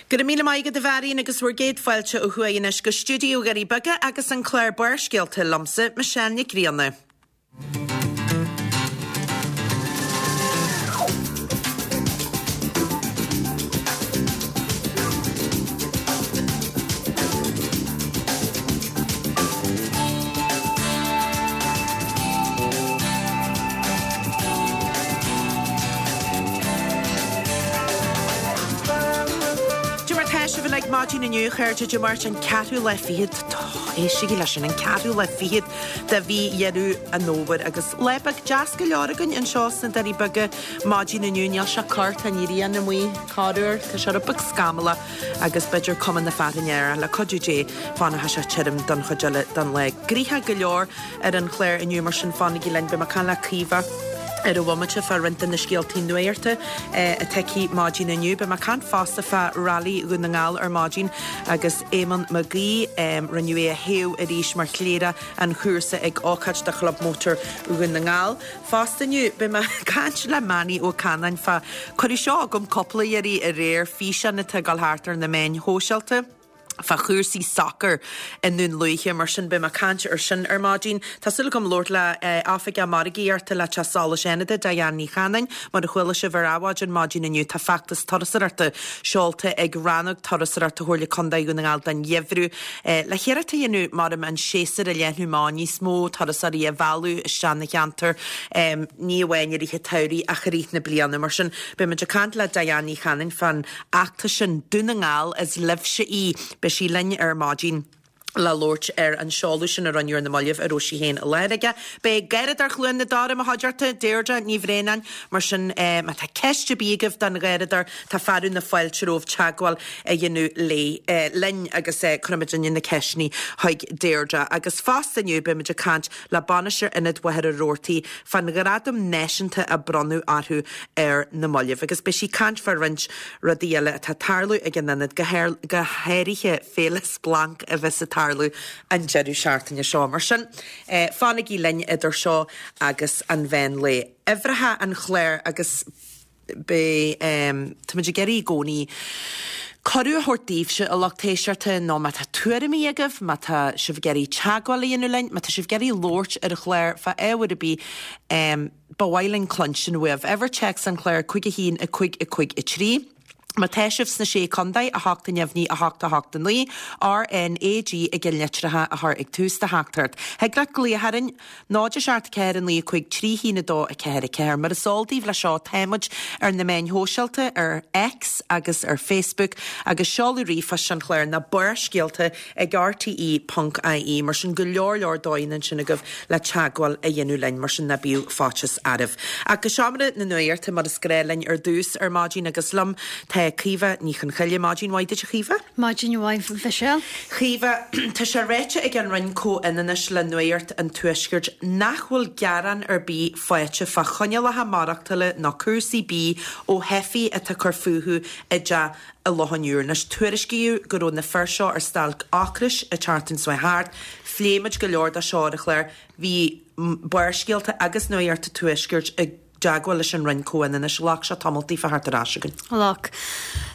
Go raibh míle maith agat a Mharion agus bhur gcéad fáilte ó thuaidh anois go stiúideo Dhoirí Beaga agus an clár Barrscéalta liomsa, Michelle Nic Grianna. Cad é mar tá sibh uilig maidin inniu, a chairde, Dé Máirt an ceathrú lá fichead, éistigí leis sin, an ceathrú lá fichead de mhí Dheireadh an Fhómhair agus lá beag deas go leor againn anseo sna Doirí Beaga maidin inniu. Níl sé corr, tá an ghrian amuigh corruair, tá sé rud beag scamallach agus b'fhéidir cuma na fearthainne air ach le cuidiú Dé fanfaidh sé tirim don chuid eile den lá. Gnoitheach go leor ar an chlár inniu mar sin fanaigí linn, beidh mé ag caint le Caoimhe ar an bhomaite fá roinnt de na scéaltaí nuachta atá aici maidin inniu. Beidh mé ag caint fosta fá Railí Dhún na nGall ar maidin agus Éamonn Mac Aoidh, rinneadh é a thoghadh arís mar chléireach an chúrsa ag ócáid do Chlub Mótar Dhún na nGall. Fosta inniu, beidh mé ag caint le Manny Ó Canáin fá, cuireadh seo chugam cúpla iarraidh aréir, físeán atá ag dul thart ar na meáin shóisialta fá chúrsaí sacair i nDún Lúiche, mar sin beidh mé ag caint ar sin ar maidin. Tá súil agam labhairt le Oifigeach Margaíochta le Teach Solais Fhánada, Diane Ní Chanainn. Mar a chuala sibh ar Adhmhaidin maidin inniu, tá feachtas turasóireachta seolta ag Rannóg Turasóireachta Chomhairle Contae Dhún na nGall don gheimhreadh. Le hiarracht a dhéanamh, maram, an séasúr a leathnú amach, níos mó turasóirí a mhealladh isteach 'na cheantar, ní amháin i rith an tsamhraidh ach i rith na bliana. Mar sin, beidh muid ag caint le Diane Ní Chanainn fán fheachtas sin, Dún na nGall, is libhse í. Beidh sí linn ar maidin le labhairt ar an seoladh sin a rinneadh ar na mallaibh a raibh sí féin i láthair aige. Beidh Garradóir Chluain na Dara i mo chuideachta, Deirdre Ní Bhraonáin. Mar sin, má tá ceist ar bith agaibh don Gharradóir, tá fearadh na fáilte romhaibh teagmháil a dhéanamh léi, linn agus cuirfimid inniu na ceisteanna chuig Deirdre. Agus fosta inniu beimid ag caint le Bainisteoir Ionad Mhachaire Rabhartaigh fán ghradam náisiúnta a bronnadh orthu ar na mallaibh. Agus beidh sí ag caint fá roinnt rudaí eile atá ag tarlú ag an ionad, go háirithe Féile Splanc a bheas ag tarlú an deireadh seachtaine seo. Mar sin, fanaigí linn idir seo agus an mheán lae. Uimhreacha an chláir agus. Beidh, táimid ag iarraidh i gcónaí cuireadh a thabhairt daoibhse, a lucht éisteachta, nó má tá tuairimí agaibh, má tá sibh ag iarraidh teagmháil a dhéanamh linn, má tá sibh ag iarraidh labhairt ar an chlár fá ábhar ar bith, ba mhaith linn cluinstin uaibh. Uimhir téacs an chláir, 5 1 5 5 3. Má tá sibh sna Sé Chontae, 8 neamhní 8 8 9, RNAG i gceann litreacha a chur ag tús do theachtaireacht. Thig leat glaoch orainn. 0 7 4 9 5 3 1 2 4 4. Mar is eol daoibh leis seo, táimid ar na meáin shóisialta, ar X agus ar Facebook, agus seoladh ríomhphoist an chláir ná barrscéalta ag rte ponc ie. Mar sin, go leor leor dóigheanna ansin agaibh le teagmháil a dhéanamh linn, mar sin ná bíodh faitíos oraibh. Ach go seomra na nuachta, mar is gnáth linn ar dtús ar maidin, agus liom tá Caoimhe Ní Chonchoille. Maidin mhaith duit, a Chaoimhe. Maidin mhaith, Mhichelle. Chaoimhe, Tá sé ráite ag an Roinn Comhionannais le Nuacht an Tuaiscirt nach bhfuil gearán ar bith faighte fá choinníollacha maireachtála nó cúrsaí bídh ó theifigh atá ag cur fúthu i dteach i Loch an Iúir. Anois, tuairiscíodh go raibh na fir seo ar stailc ocrais an tseachtain seo thart. Phléigh muid go leor de seo ar an chlár. Bhí Barrscéalta agus Nuacht an Tuaiscirt i dteagmháil leis an Roinn Comhionannais. Ghlac sé tamall daofa theacht ar ais chugainn. Ghlac.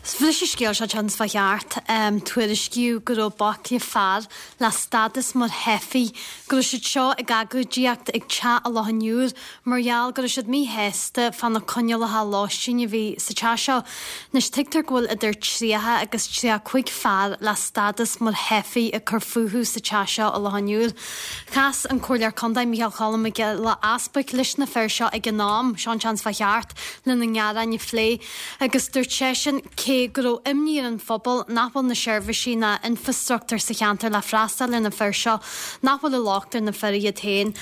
Bhris an scéal seo an tseachtain seo thart. Tuairiscíodh go raibh baicle fear le stádas mar theifigh, go raibh siad seo ag agóidíocht ag teach i Loch an Iúir mar gheall go raibh siad míshásta fá na coinníollacha lóistín a bhí sa teach seo. Anois tuigtear go bhfuil idir 30 agus 35 fear le stádas mar theifigh ag cur fúthu sa teach seo i Loch an Iúir. Chas an Comhairleoir Contae Micheál Cholm Mac Giolla Easbuic leis na fir seo ag an am, seo an tseachtain seo thart, lena ngearáin a phlé agus dúirt seisean cé go raibh imní ar an phobal nach bhfuil na seirbhísí ná infreastruchtúr sa cheantar le freastal ar na fir seo, nach bhfuil an locht ar na fir iad féin.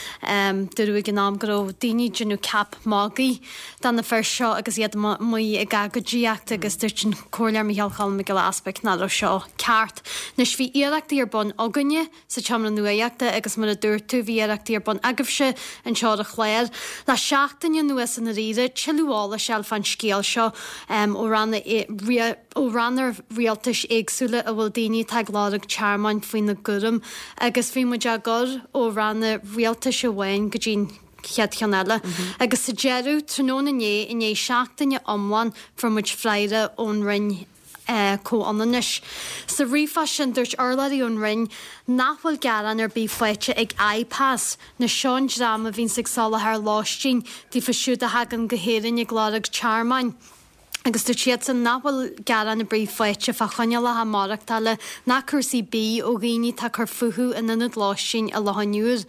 Dúradh ag an am go raibh daoine ag déanamh ceap magaidh de na fir seo agus iad amuigh ag agóidíocht agus dúirt an Comhairleoir Micheál Cholm Mac Giolla Easbuic nach raibh seo ceart. Anois bhí iarrachtaí ar bun againne, sa tseomra nuachta agus mar a dúirt tú bhí iarrachtaí ar bun agaibhse anseo ar an chlár le seachtain anuas i ndáiríre tuilleadh eolais a fháil fán scéal seo ó ranna ó ranna rialtais éagsúla a bhfuil daoine atá ag lorg tearmainn faoina gcúram agus bhí muid á gcur ó ranna rialtais amháin go dtí an chéad cheann eile. Agus sa deireadh, tráthnóna inné, i ndiaidh seachtaine iomlán, fuair muid freagra ón Roinn. Comhionannais. Sa ríomhphost sin, dúirt urlabhraí ón Roinn nach bhfuil gearán ar bith faighte ag IPAS, nó seo an dream a bhíonns ag soláthar lóistín daofa siúd a thagann go hÉirinn ag lorg tearmainn. Agus dúirt siadsan nach bhfuil gearán ar bith faighte fá choinníollacha maireachtála ná cúrsaí bídh ó dhaoine atá ag cur fúthu in ionad lóistín i Loch an Iúir.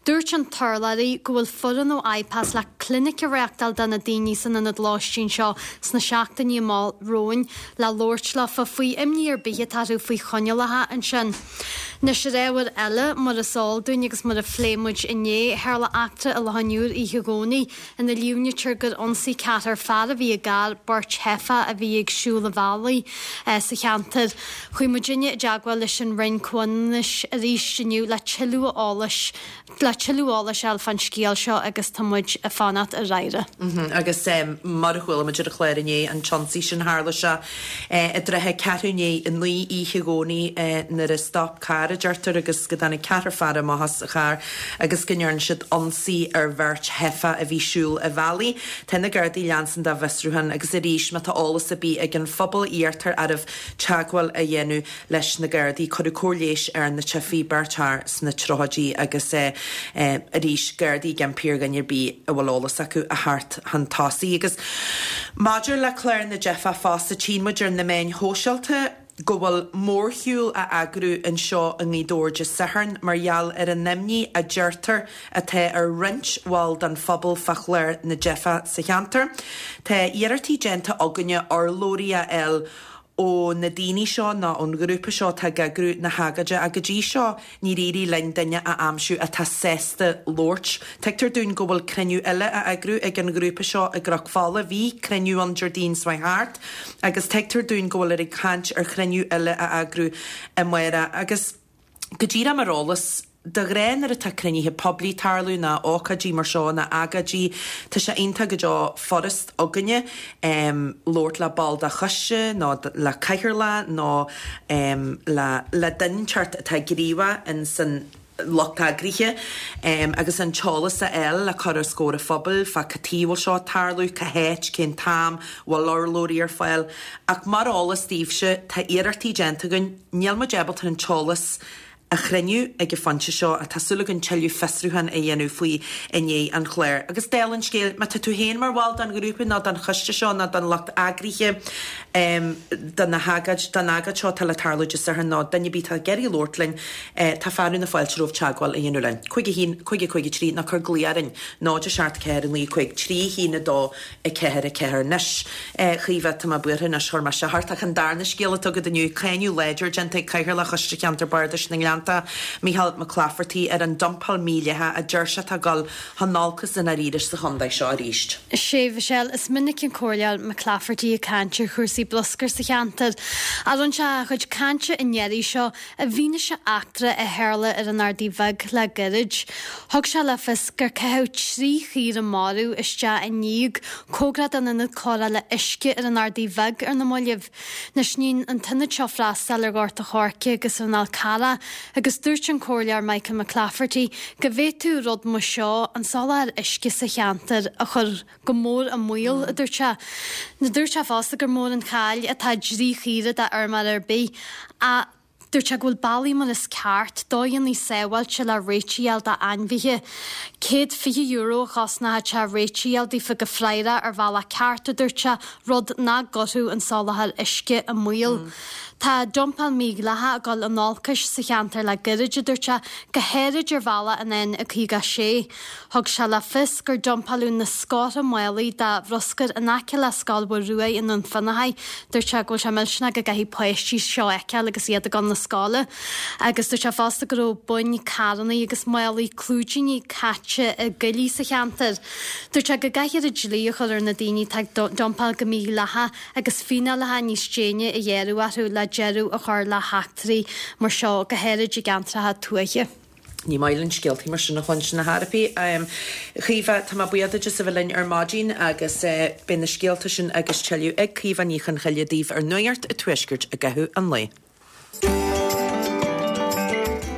Dúirt an t-urlabhraí go bhfuil foireann ó IPAS le clinic a reáchtáil do na daoine san ionad lóistín seo sna seachtainí amach romhainn le labhairt leofa faoi imní ar bith atá orthu faoi choinníollacha ansin. Anois ar ábhar eile, mar is eol dúinn agus mar a phléigh muid inné, tharla eachtra i Loch an Iúir oíche Dhomhnaigh ina líomhnaítear gur ionsaigh ceathrar fear a bhí i gcarr beirt theifeach a bhí ag siúl an bhealaigh sa cheantar. Chuaigh muidinne i dteagmháil leis an Roinn Comhionannais arís inniu le tuilleadh eolais le tuilleadh eolais a fháil fán scéal seo agus tá muid ag fanacht ar fhreagra. Agus mar a chuala muid ar an chlár inné, an t-ionsaí sin, tharla sé i dtrátha ceathrú i ndiaidh a 9 oíche Dhomhnaigh nuair a stop carr, a deirtear, agus go dtáinig ceathrar fear amach as an charr agus go ndearna siad ionsaí ar bheirt theifeach a bhí siúl a' bhealaigh. Tá na Gardaí ag leanstan dá bhfiosrúchán agus arís má tá eolas ar bith ag an phobal iarrtar oraibh teagmháil a dhéanamh leis na Gardaí. Cuireadh cóir leighis ar na teifigh, beirt fhear sna tríochaidí agus arís Gardaí ag impí ar dhuine ar bith a bhfuil eolas acu a theacht chun tosaigh. Agus maidir le clár na dteifeach fosta, tchíonn muid ar na meáin shóisialta, go bhfuil mórshiúl á eagrú anseo i nGaoth Dobhair Dé Sathairn mar gheall ar an imní a deirtear atá ar roinnt bhall den phobal fá chlár na dteifeach sa cheantar. Tá iarrachtaí déanta againne urlabhraí a fháil ó na daoine seo nó ón ghrúpa seo atá ag eagrú na hagóide ach go dtí seo Níor éirigh linn duine a aimsiú atá sásta labhairt. Tuigtear dúinn go bhfuil cruinniú eile á eagrú ag an ghrúpa seo i gCnoc Fola. Bhí cruinniú ann Déardaoin seo thart agus tuigtear dúinn go bhfuiltear ag caint ar chruinniú eile a eagrú amárach. Agus go díreach mar eolas, de ghnáth nuair atá cruinnithe poiblí ag tarlú nó ócáidí mar seo nó agóidí, tá sé iontach go deo furast againne labhairt le ball de choiste nó le cathaoirleach nó le duine inteacht atá gníomhach in san lucht eagraithe agus an t-eolas a fháil le cur os comhair an phobail fá cad chuige a bhfuil seo ag tarlú, cá háit, cén t-am, bhfuil urlabhraí ar fáil. Ach mar eolas daoibhse, tá iarrachtaí déanta againn, níl muid ábalta an t-eolas a chruinniú ag an phointe seo ach tá súil againn tuilleadh fiosrúchán a dhéanamh faoi i ndiaidh an chláir. Agus dála an scéil, má tá tú féin mar bhall den ghrúpa nó den choiste seo nó den lucht eagraithe de na hagóid, den agóid seo atá le tarlú Dé Sathairn nó duine ar bith atá ag iarraidh labhairt linn, tá fearadh na fáilte romhaibh teagmháil a dhéanamh linn. 5 1 5 5 3 nó cuir glaoch orainn 0 7 4 9 5 3 1 2 4 4 Anois, a Chaoimhe, tá mé buartha anois, chuir mé seo ort, ach an darna scéal atá agat inniu, cáineadh láidir déanta ag Cathaoirleach Choiste Cheantar Bardais na nGleannta, Micheál Mac Laifeartaigh, ar an dumpáil mhídhleathach a deir sé atá ag dul chun olcais i ndáiríre sa chontae seo arís. Sea, Mhichelle, is minic an Comhairleoir Mac Laifeartaigh ag caint ar chúrsaí bruscair sa cheantar. Ach rinne sé a chuid cainte an iarraidh seo I bhfianaise eachtra a tharla ar an Ardaidh Bheag le gairid, thug sé le fios gur caitheadh 3 chaora marbh isteach i ndíog cóngarach don ionad cóireála uisce ar an Ardaidh Bheag ar na mallaibh. Anois níonn an t-ionad seo freastal ar Ghort a' Choirce agus ar an Fhál Carrach agus dúirt an Comhairleoir Michael McClafferty go bhféadfadh rud mar seo an soláthar uisce sa cheantar a chur go mór i mbaol, a dúirt sé. Dúirt sé fosta gur mór an chaill atá i dtrí chaora d'fheirmeoir ar bith ach dúirt sé go bhfuil bealaí mar is ceart, dóigheanna sábháilte le réitigh a fháil d'ainmhithe. €120 a chosnódh sé réitigh a fháil daofa go fraorach ar bhealach ceart, a dúirt sé, rud nach gcuirfeadh an soláthar uisce i mbaol. Tá dumpáil mhídhleathach ag dul in olcais sa cheantar le gairid, a dúirt sé, go háirid ar bhealach an N56. Thug sé le fios gur dumpáladh na scórtha málaí de bhruscar in aice le Scoil Mhuire Ruaidh i nDún Fionnachaidh. Dúirt sé go bhfuil sé millteanach go gcaithfidh páistí seo a fheiceáil agus iad ag dul na scoile. Agus dúirt sé fosta go raibh boinn carrannaí agus málaí clúidíní caite i gcoillí sa cheantar. Dúirt sé go gcaithfear an dlí a chur ar na daoine atá ag dumpáil go mídhleathach agus fíneálacha níos déine a ghearradh orthu le deireadh a chur le heachtraí mar seo, go háirid i gceantracha tuaithe. Ní maith linn scéaltaí mar sin a chluinstin ar chor ar bith. A Chaoimhe, tá mé buíoch duit as a bheith linn ar maidin agus beidh na scéalta sin agus tuilleadh ag Caoimhe Ní Chonchoille daoibh ar Nuacht an Tuaiscirt i gcaitheamh an lae.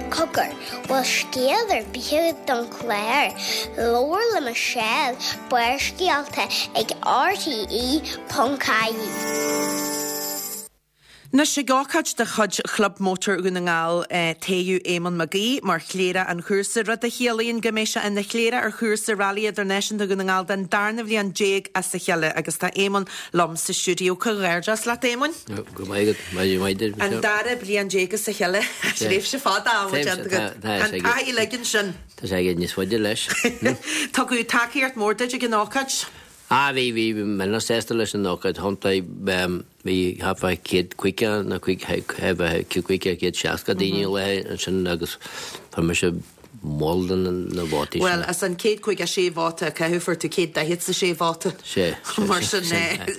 Cogar, bhfuil scéal ar bith agat don chlár? Labhair le Michelle, Barrscéalta ag RTE.ie. Anois, ag ócáid de chuid Chlub Mótar Dhún na nGall, toghadh Éamonn Mac Aoidh mar Chléireach an Chúrsa, rud a chiallaíonn go mbeidh sé ina chléireach ar chúrsa Rally Idirnáisiúnta Dhún na nGall den darna bhliain déag as a chéile agus tá Éamonn liom sa stiúideo. Comhghairdeas leat, Éamoinn. Go raibh maith agat. Maith maith duit, An dara bliain déag as a chéile. Tréimhse fada ama déanta agat. An taithí uilig ansin. Tá sé ag níos faide leis. Tugadh tacaíocht mhór duit ag an ócáid. Ah bhí, bhí, bhí mé an-sásta leis an ócáid chontae, bhí thart fá 150 nó 150, 160 daoine i láthair ansin agus fuair mise moll de na vótaí sin. Bhuel, as an 156 vóta a caitheadh, fuair tú 146 vóta. Sea, sea, Mar sin,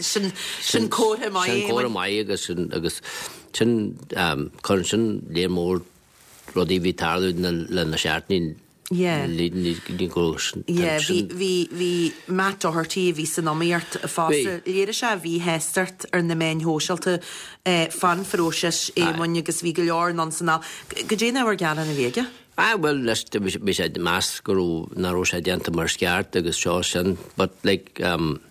sin, sin comhartha maith é. Sin comhartha maith agus sin, agus sin, cuireann sin léar mór rudaí a bhí ag tarlú le na seachtainí Yeah. Yeah, bhí, bhí, bhí Matt Doherty a bhí san iomaíocht fosta, léirigh sé a mhíshástacht ar na meáin shóisialta fán phróiseas, Éamoinn, agus bhí go leor anonn 's anall. Goidé an ábhar gearáin a bhí aige? Ah, bhuel, leis, bhí sé ag meas go raibh, nach raibh sé déanta mar is ceart agus seo sin, but like, um,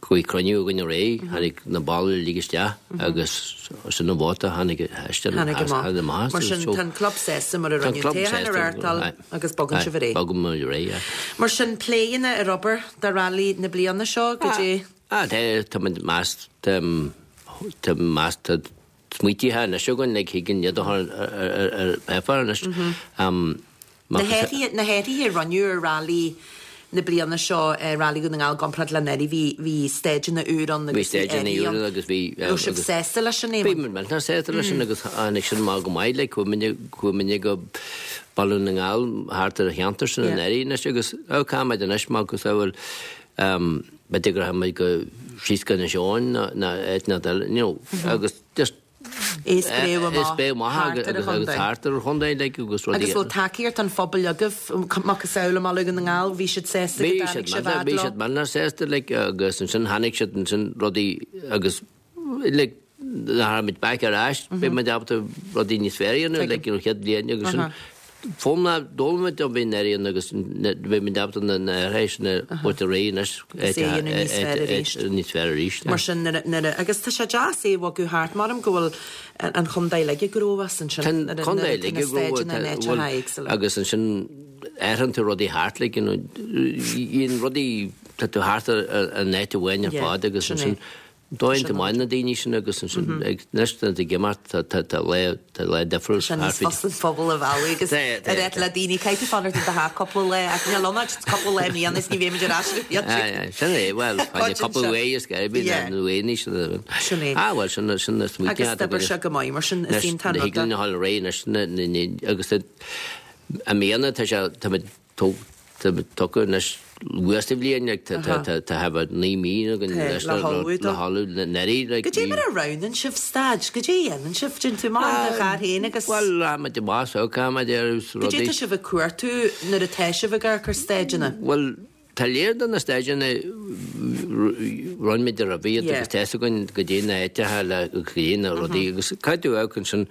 Bhí cruinniú againn aréir, tháinig na baill uilig isteach agus sin an vóta a tháinig isteach. Tháinig amach. Mar sin, tá an club sásta mar a rinneadh toghchán a reáchtáil agus bogann sibh ar aghaidh. Bogann muid ar aghaidh, yeah. Mar sin, pleananna ar obair do rally na bliana seo, goidé? Ah, tá, tá muid meas, tá, tá meas, tá smaoitithe anois againn, like, thig an iad a chur ar, ar, ar páipéar anois. Na hathruithe, na hathruithe a rinneadh ar Rally na bliana seo, Rally Dhún na nGall i gcomparáid le anuraidh, bhí, bhí staideanna úr ann agus bhí athruithe ann. agus bhí. Raibh sibh sásta leis sin, Éamonn? Bhí muid millteanach sásta leis sin agus tháinig sin amach go maith, like, chuaigh muidne, chuaigh muidne go Baile Dhún na nGall thart ar an cheantar sin anuraidh anois agus, oh, caithfidh muid anois mar go bhfuil, b'fhéidir go rachaidh muid go síos go Inis Eoghain nó áit nó eile, you know, agus just É spréadh amach thart ar an chontae. Thart ar an chontae, like, agus rudaí. Agus bhfuil tacaíocht an phobail agaibh, macasamhail i mBaile Dhún na nGall, bhí siad sásta go dtáinig sibh fhad leo? Bhí siad millteanach sásta, like, agus ansin tháinig siad ansin rudaí agus, like, nuair a thagann muid back ar ais, beidh muid ábalta rudaí níos fearr a dhéanamh, like, you know, chéad bhliain agus sin. Foghlaim d'fhoghlaim muid ó bhí anuraidh agus beidh muid ábalta na athruithe sin a thabhairt ar aghaidh anois. Agus é a dhéanamh níos fearr arís. Níos fearr arís. Mar sin nuair a, agus tá sé deas é a bhogadh thart, maram go bhfuil an chontae uilig ag gnóthú as ansin. Tá an chontae uilig ag gnóthú, agus ansin athraíonn tú rudaí thart, like, you know, rudaí, tá tú thart ar an áit amháin ar fad agus ansin Dóigh iontach maith na daoine sin agus ansin ag anois tá ag imeacht tá tá tá lá tá lá difriúil Tá sé níos fusa an phobal a mhealladh agus a rá le daoine caithfidh tú fanacht i do theach cúpla lá ach níl ann ach cúpla lá i mbliana is ní bheimid ar ais ar Aye, aye, sin é, bhuel, fáinne cúpla uaidh is go Yeah. nó aon sin Sin é. Ah, bhuel, sin sin na smaointe Agus d'oibir sé go maith mar sin is iontach an rud é. Na hAll Réidh anois na na agus i mbliana tá sé tá muid Tugtha anois luath sa bhliain, like, tá thart 9 mí againn anois le hullmhú dó. Le hullmhú anuraidh, like. Goidé mar a roghnaíonn sibh staid? Goidé a dhéanann sibh? Déanann tú amach in do charr féin agus. Bhuel, rachaimid amach so, caithfimid ar rudaí. Goidé tá sibh ag cuartú nuair atá sibh ag amharc ar staideanna? Bhuel, tá léar de na staideanna, rinne muid roimhe iad agus tá fhios againn goidé na háiteacha le goidé na rudaí agus caithfidh tú amharc ansin,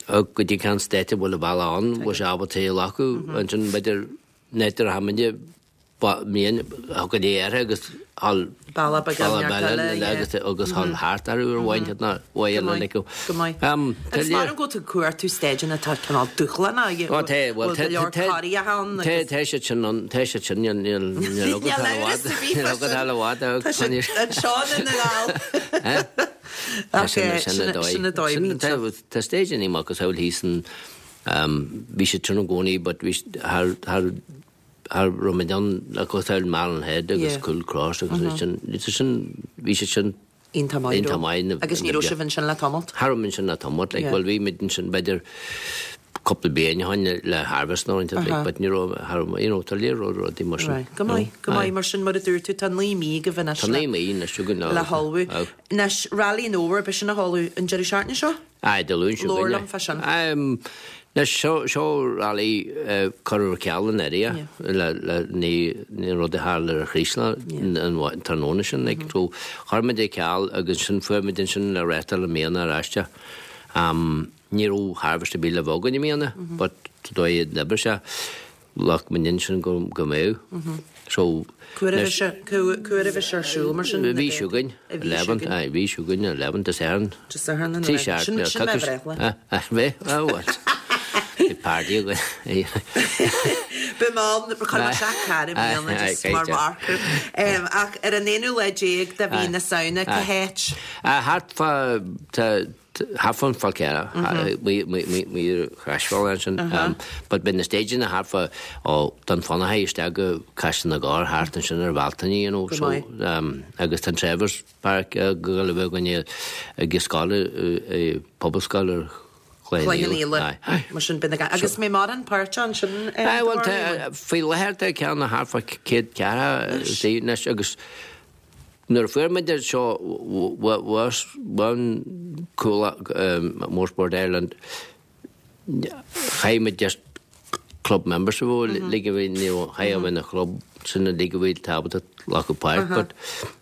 Goidé cén state a bhfuil an bealach ann, bhfuil sé ábalta é a ghlacadh, ansin b'fhéidir an áit a rachaidh muidne mbliain go léir air agus thall Bealach beag eile, yeah. agus agus thall thart orthu ar bhain siad na uaidh eile like Go maith. Agus mar an go bhfuil tú ag cuartú staideanna atá cineál dúshlánach, Ó tá, bhuel bhfuil go leor corraithe ann tá agus. tá siad sin ann, tá siad sin, níl níl níl agat Níl thall i amhras bhfad, ar bith níl fá agat sin. thall i bhfad, Tá siad anseo i nDún na nGall. Tá sin sin a dóigh. Sin a dóigh Sin tá tá staideanna macasamhail thíos in bhí siad sin i gcónaí but bhí thar thar thar raibh muid ann macasamhail Malin Head agus Cool Cross agus sin sin bhí siad sin Iontach maith iontach maith na Agus ní raibh sibh ansin le tamalt? Cha raibh muid ansin le tamalt like bhuel bhí muid ansin b'fhéidir cúpla bliain ó shin le Harvest nó rud like but ní raibh thar you know tá léir rud rudaí mar sin. Right. Go maith, go maith mar sin mar a dúirt tú tá 9 mí agaibh anois Tá 9 mí anois againn le hullmhú. Anois, Rally an Fhómhair, beidh sin á tharlú an deireadh seachtaine seo? Aye, Dé Luain seo Labhair liom fá sin. Anois, seo, seo rally curtha ar ceal anuraidh le, le, ní, ní rud a tharla ar an Chraoslach an tráthnóna sin, like, so chuir muid ar ceal agus ansin fuair muid ansin le reáchtáil i mbliana ar ais. Ní raibh harvest ar bith le bheith againn i mbliana, but dóigh a d'oibrigh sé, ghlac muid ansin go, go mbeadh. So, Cá huair a bhí sé, cá huair a bhí sé ar siúl mar sin? An mhí seo chugainn, 11th, aye, mhí seo chugainn, 11th Dé Sathairn. Dé Sathairn an 11th. Sin, sin mo bhreithlá. Bheith, ah bhuel. Bhí party againn. Beidh mé ann, chuir mé isteach carr i mbliana just mar mharker. Ach ar an aonú lá déag de mhí na Samhna, cá háit? Thart fá, tá, thart fán Fál Carrach, amuigh ar Chroisbhealach ansin. But beidh na stageanna thart fá, ó Dún Fionnachaidh isteach go Caisleán na gCorr thart ansin ar Bhealtaine, you know. So, agus tá an Trevor's Park ag gabháil a bheith againne ag an scoil, Pobalscoil ar Chloich Cheann Fhaola. Mar sin, beidh na, agus mbeidh mórán páirteach ansin, Aye, bhuel, tá, faoi láthair tá ceann thart fá 140 anois agus Nuair a fuair muid é seo bhain Cuallacht Motorsport Ireland chaith muid just club members a bheith like a bhí ní chaith a bheith ina chlub sin like a bhí ábalta glacadh páirt but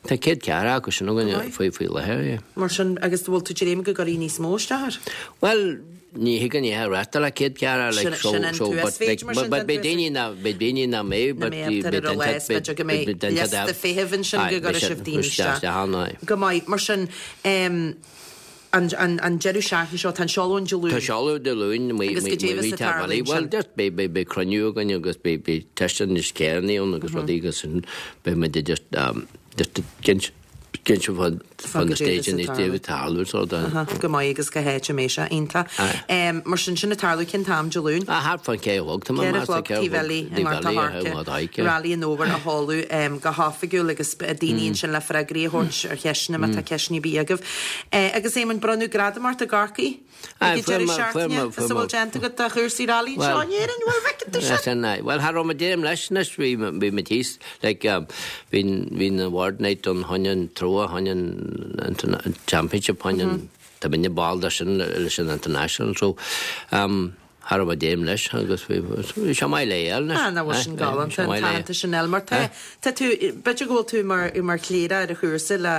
tá 140 acu sin againn faoi faoi láthair yeah. Mar sin agus bhfuil tú dréim go gcuirfidh níos mó isteach air? Bhuel Ní thig an oíche reachtáil le 140 like so so but like but beidh daoine ná beidh daoine nach mbeidh but bhí beidh duine beidh go mbeidh liosta feithimh ansin go gcuirfidh sibh daoine isteach ann aye. Go maith mar sin an an an deireadh seachtaine seo tá an seoladh an Dé Luain. Tá seoladh Dé Luain Agus goidé a bheas ag tarlú ansin? Bhuel just beidh beidh beidh cruinniú againn agus beidh beidh teisteanna níos céanna ann agus rudaí agus sin beidh muid just just ag Cinnte fá na stageanna ag tarlú so da. Go maith agus cá háit a mbeidh sé. Iontach. Mar sin, sin ag tarlú cén t-am Dé Luain? Thart fán 4 a chlog tá mé 4 a chlog taobh eile i nGort a' Choirce. Rally an Fhómhair á sheoladh go hoifigiúil agus daoine ansin le freagraí a thabhairt ar cheisteanna má tá ceisteanna ar bith agaibh. Agus Éamonn, bronnadh gradam ort i gCorcaigh? Ag an deireadh seachtaine, as a bhfuil déanta agat do chúrsaí railí anseo in Éirinn, bhfuil bhfeiceann tú sin? Bhuel, cha raibh mé déanaim leis anois, bhí bhí mé thíos, like, bhí bhí an award night ann choinne an trófa, choinne an championship, choinne an, tá muidne ball de sin leis an international, so, cha raibh mé déanaim leis agus bhí bhí sé maith le fháil anois. Ah, nach bhfuil sin galánta, an t-aitheantas sin eile, mar tá, tá tú, b'fhéidir go bhfuil tú mar mar chléireach ar an chúrsa le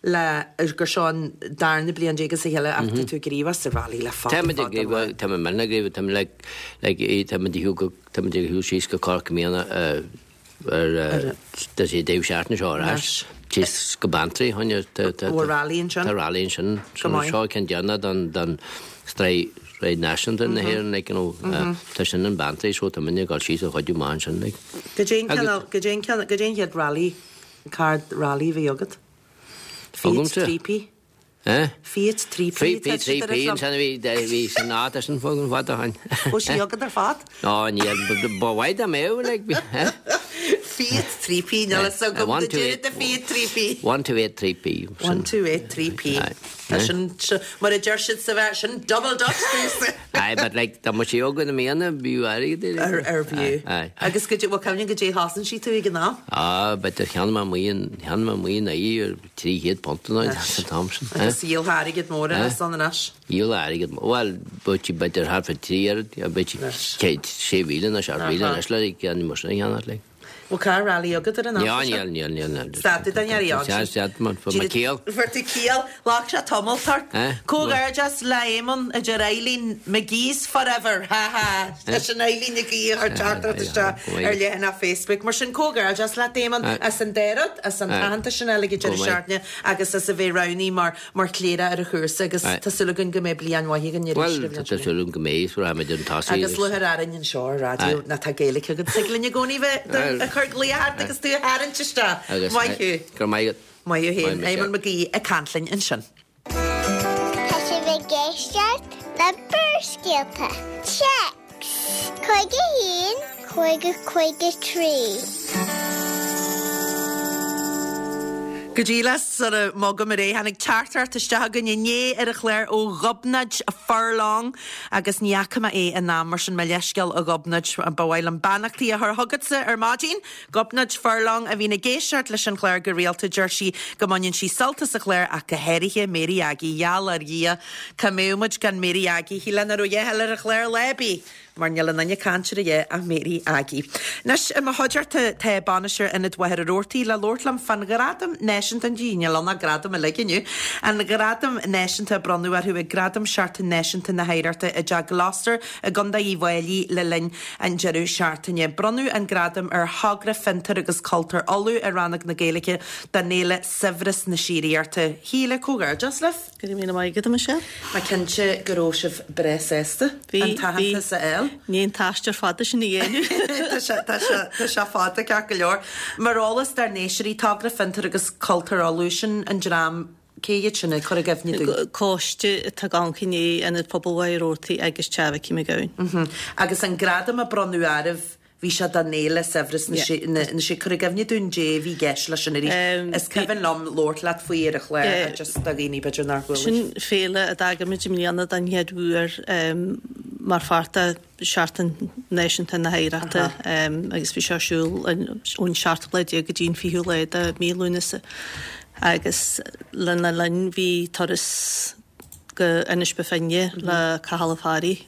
le gur seo an darna bliain déag as a chéile ach tá tú gníomhach sa rally le fada Tá muid ag fada lá. tá muid minic ag tá muid like like tá muid ag shiúl go tá muid ag shiúl síos go Corca i mbliana ar tá sé deireadh seachtaine seo ar ais síos go Beanntraí choinne tá tá Bhfuil rally ansin? Tá rally ansin Go maith. seo ceann deireanach don don sraith sraith náisiúnta na hÉireann like you know tá sin in Beanntraí so tá muidne ag dul síos a chuidiú amach ansin like. Goidé an cineál goidé an cineál goidé an chéad rally Card rally a bhí agat? Fiat Agamsa? 3P. Eh? Fiat 3P 3P, 3P ansin a bhí, bhí san áit sin fágann fad ó shin. Bhfuil sí agat ar fad? Ó, níl, ba mhaith dá mbeadh, like, eh? Fiat 3P, níl fhios agam One, do two, deireadh eight, de Fiat 3P. 1, 2, 8, 3P. 1, 2, 8, 3P. Aye. Tá sin, mar a deir siad sa bheith, sin double dutch domhsa. Aye, but like, dá mbeadh sí agat i mbliana, b'fhiú airgead é, like. Ar, ar b'fhiú. Aye, aye. Agus goidé, bhuel, cuimhnigh goidé chosain sí tú ag an am? Ah, b'fhéidir cheannaigh mé amuigh in, cheannaigh mé amuigh in aghaidh ar 300 punt an an t-am sin. eh? Agus dhíol airgead mór Eh? as an anois. Dhíol airgead mór, bhuel, b'fhéidir b'fhéidir thart fá trí oiread, b'fhéidir 6,000 nó 7,000 anois le ceann mar sin a cheannach, like. Bhfuil carr rally agat ar an Níl, am seo? níl, níl, níl, níl. Stad tú den earraí ann. Sea, stad, man, fuair mé ciall. Fuair tú ciall. Ghlac sé tamall ort. Eh? Comhghairdeas le Éamonn, a deir Eileen, McGee's forever, ha ha. Tá sin Eileen McGee a chuir teachtaireacht isteach ar leathanach Facebook. Mar sin, comhghairdeas leat, Éamonn, as an dá rud, as an aitheantas sin a fháil ag an deireadh seachtaine agus as a bheith roghnaithe mar mar chléireach ar an chúrsa agus tá súil againn go mbeidh bliain mhaith againn arís Bhuel, tá súil agam go mbeidh, is rachaimid chun tosaigh. Agus lúcháir orainn anseo ar raidió ná tá Gaeilge agat. Tig linn i gcónaí bheith ag cur glaoch ort agus tú a tharraingt isteach. Maith thú. Go raibh maith agat. Maith thú féin. Éamonn McGee ag caint linn ansin. Tá sibh ag éisteacht le Barrscéalta. Téacs 51 50 53. Go díreach sara mbogaim ar aghaidh, tháinig teachtaireacht isteach chugainn inné ar an chlár ó Ghobnait Furlong agus ní fhaca mé é in am, mar sin mo leithscéal a Ghobnait, ba mhaith liom beannachtaí a chur chugatsa ar maidin. Gobnait Furlong a bhíonn ag éisteacht leis an chlár go rialta, deir sí go mbaineann sí sult as an chlár ach go háirithe Mary Aggie, gheall ar Dhia cá mbeadh muid gan Mary Aggie, shílfeá nach raibh a dhath eile ar an chlár lá ar bith. Mar níl aon duine ag caint ar a dhath ach Mary Aggie. Anois, i mo chuideachta tá bainisteoir Ionad Mhachaire Rabhartaigh le labhairt liom fán Ghradam Náisiúnta, níl ann ach gradam uilig inniu, an Gradam Náisiúnta a bronnadh orthu ag Gradaim Seachtain Náisiúnta na hOidhreachta i dTeach Gloster i gContae Uíbh Fhailí le linn an deireadh seachtaine. Bronnadh an gradam ar Thogra Fiontar agus Cultúir Uladh i rannóg na Gaeilge don fhéile Saibhreas na Síoraíochta. Shíle, comhghairdeas libh! Go raibh míle maith agat, a Michelle. Mé cinnte go raibh sibh breá sásta an t-aitheantas a fháil. Ní an t-aistear fada sin a dhéanamh. Tá sé, tá sé, tá sé fada ceart go leor. Mar eolas dár n-éisteoirí, Togra Fiontar agus Cultúr Uladh, sin an dream, cé hiad sin, cuir i gcuimhne dúinn. Coiste atá ag amharc i ndiaidh Ionad Pobail Mhachaire Rabhartaigh agus Teach Mhicí McGowan. Agus an gradam a bronnadh oraibh, Bhí sé don fhéile Saibhreas na Sí. Cuir i gcuimhne dúinn dé a bhí i gceist leis sin arís. Is cuimhin liom labhairt leat faoi ar an chlár ach just do dhaoine b'fhéidir nár chuala. Sin féile a d'eagraigh muid i mbliana den chéad uair mar pháirt de Sheachtain Náisiúnta na hOidhreachta agus bhí sé ar siúl ón seachtú lá déag go dtí an fichiú lá de mhí Lúnasa agus lena linn bhí turas go Inis Bó Finne le Cathal Ó Fearraigh.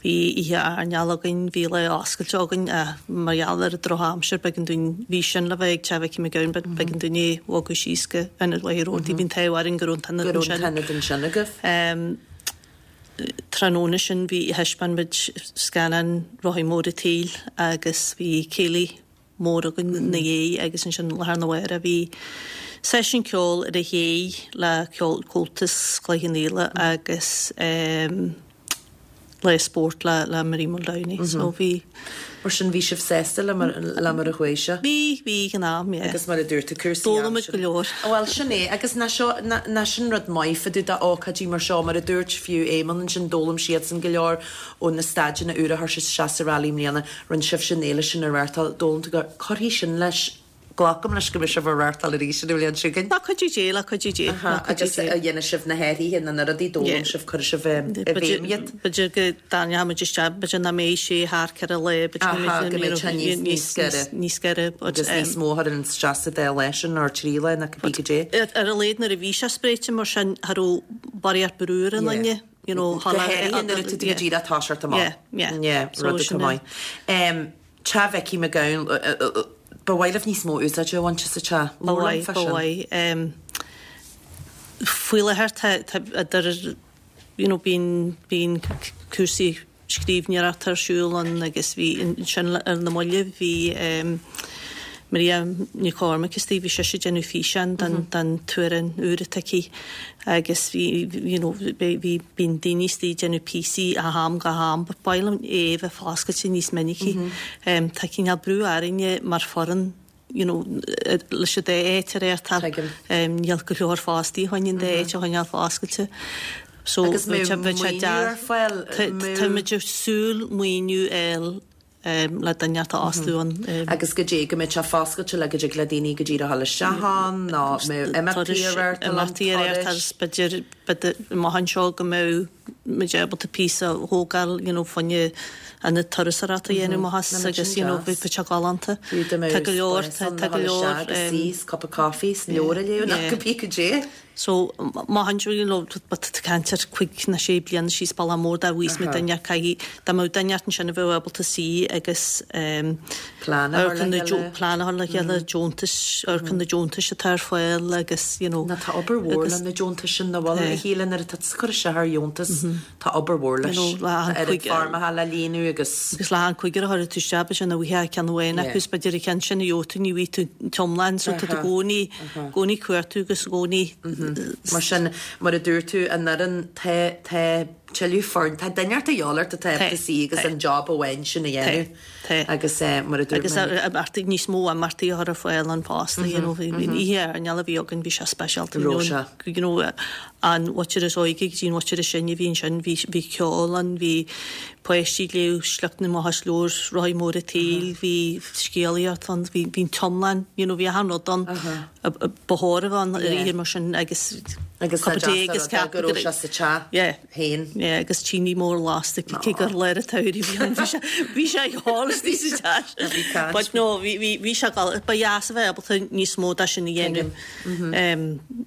Bhí oíche airneáil againn, bhí lá oscailte againn ach mar gheall ar an drochaimsir b'éigean dúinn, bhí sin le bheith ag Teach Mhicí McGowan but b'éigean dúinn é a bhogadh síos go Ionad Mhachaire Rabhartaigh. Bhí an t-ádh orainn go raibh an t-ionad ansin. Go raibh an t-ionad ansin agaibh. Tráthnóna sin bhí, thaispeáin muid scannán Rothaí Móra an tSaoil agus bhí céilí mór againn ina dhiaidh agus ansin lá arna mhárach bhí seisiún ceoil ar a shé le ceol Comhaltas Chloich Cheann Fhaola agus lá spóirt le le Marie Muldowney so bhí. Mar sin bhí sibh sásta le mar le mar a chuaigh sé? Bhí, bhí ag an am, yeah. Agus mar a dúirt tú cúrsaí D'fhoghlaim muid go leor. Bhuel sin é agus nach seo nach sin rud maith fá dtaobh d'ócáidí mar seo mar a dúirt fiú Éamonn ansin d'fhoghlaim siadsan go leor ó na staideanna úra a chuir siad isteach sa Rally i mbliana, rinne sibhse an fhéile sin a reáchtáil, d'fhoghlaim tú go, cuirfidh sin leis, glacaim leis go mbeidh sibh á reáchtáil arís an bhliain seo chugainn. Le cuidiú Dé, le cuidiú Dé, le cuidiú Agus Dé. a dhéanfaidh sibh na hathruithe nó na rudaí a d'fhoghlaim sibh, cuirfidh sibh i bhfeidhm iad. B'fhéidir go dtarraingeoidh muid isteach, b'fhéidir nach mbeidh sé thar 4 lá, b'fhéidir go mbeidh go mbeidh sé níos, níos giorra. Níos giorra, but. Agus níos mó a chuireann isteach sa dá lá sin, nó 3 lá, nó cibé goidé. Ar a laghad nuair a bhí sé spréite mar sin, cha raibh barraíocht brú ar an duine. you know, Go háirithe nuair atá tú go díreach ag toiseacht amach. Yeah, yeah. Yeah, rud atá maith. Teach Mhicí McGowan, ba mhaith libh níos mó úsáide a bhaint as an teach. Ba mhaith, ba mhaith. Faoi láthair tá, tá idir, you know, bíonn, bíonn cúrsaí scríbhneoireachta ar siúl ann agus bhí ansin ar na mallaibh bhí Maria Nic Chormaic istigh, bhí sise ag déanamh físeán don, don t-amhrán úr atá aici. Agus bhí, you know, bhí, bíonn daoine istigh ag déanamh píosaí ó am go ham but ba mhaith linn é a bheith foscailte níos minicí. Tá cineál brú orainne mar foireann, you know, leis an dá áit a reáchtáil. Níl go leor fostaí chun an dá áit a choinneáil foscailte. So, Agus bheadh sé, bheadh sé maoiniú ar fáil? Tá muid ag súil maoiniú a fháil le duine a fhostú ann. Agus goidé, go mbeidh sé foscailte le go dtig le daoine go díreach dul isteach ann nó mbeadh imeachtaí á reáchtáil ann, Imeachtaí á reáchtáil agus b'fhéidir, b'fhéidir amach anseo go mbeadh muid ábalta píosa a thógáil you know fá choinne ionad turasóireachta a dhéanamh amach as agus you know bheadh sé galánta. Fiú dá mbeadh Tá go leor, spás ann tá le go dhul leor isteach agus suí 's cup of coffee 's leabhar a léamh nó cibé goidé. So, má théann tú, you know, tá tú ag caint ar chuig nó sé bliana síos bealach mór dá bhfuigheas muid duine caithfidh, dá mbeadh duine ansin a bheadh ábalta suí agus ehm Plean a chur le chéile. Plean a chur le chéile, deontais, amharc ar na deontais atá ar fáil agus, you know. Nó tá obair mhór le na deontais sin, nach bhfuil, a Shíle, nuair atá tú ag cur isteach ar dheontas, tá obair mhór leis. Tá oiread foirmeacha le líonadh agus. Agus le an cúigear a chuirfidh tú isteach, b'fhéidir nach bhfaighfeá ceann amháin acu is b'fhéidir an ceann sin a gheobhaidh tú ní bhfaighidh tú an t-iomlán so tá tú i gcónaí, gcónaí ag cuartú agus i gcónaí. Mar sin, mar a dúirt tú, an fhoireann, tá, tá tuilleadh foirne, tá duine ort a dhíobháil ort atá ábalta suí agus an job amháin sin a dhéanamh. Tá. Agus mar a dúirt mé. Agus imeachtaí, níos mó imeachtaí a chur ar fáil ann fosta, you know, bhí an oíche airneáil a bhí againn, bhí sé speisialta, you know, you know, an mhuintir is óige go dtí an mhuintir is sine a bhí ansin, bhí, bhí ceol ann, bhí páistí ag léamh sliocht amach as leabhar Rothaí Móra an tSaoil, bhí scéalaíocht ann, bhí, bhí an t-iomlán, you know, bhí achan rud ann, ba chóir a bheith ann ar oíche mar sin agus. Agus cup of tea agus ceap go raibh sé sa teach féin. Yeah, agus tine mór lasta cé gur lár an tsamhraidh a bhí ann, bhí sé, bhí sé ag ól istigh sa teach. Bhí caint. But no, bhí, bhí, bhí sé gal, ba dheas a bheith ábalta níos mó de sin a dhéanamh,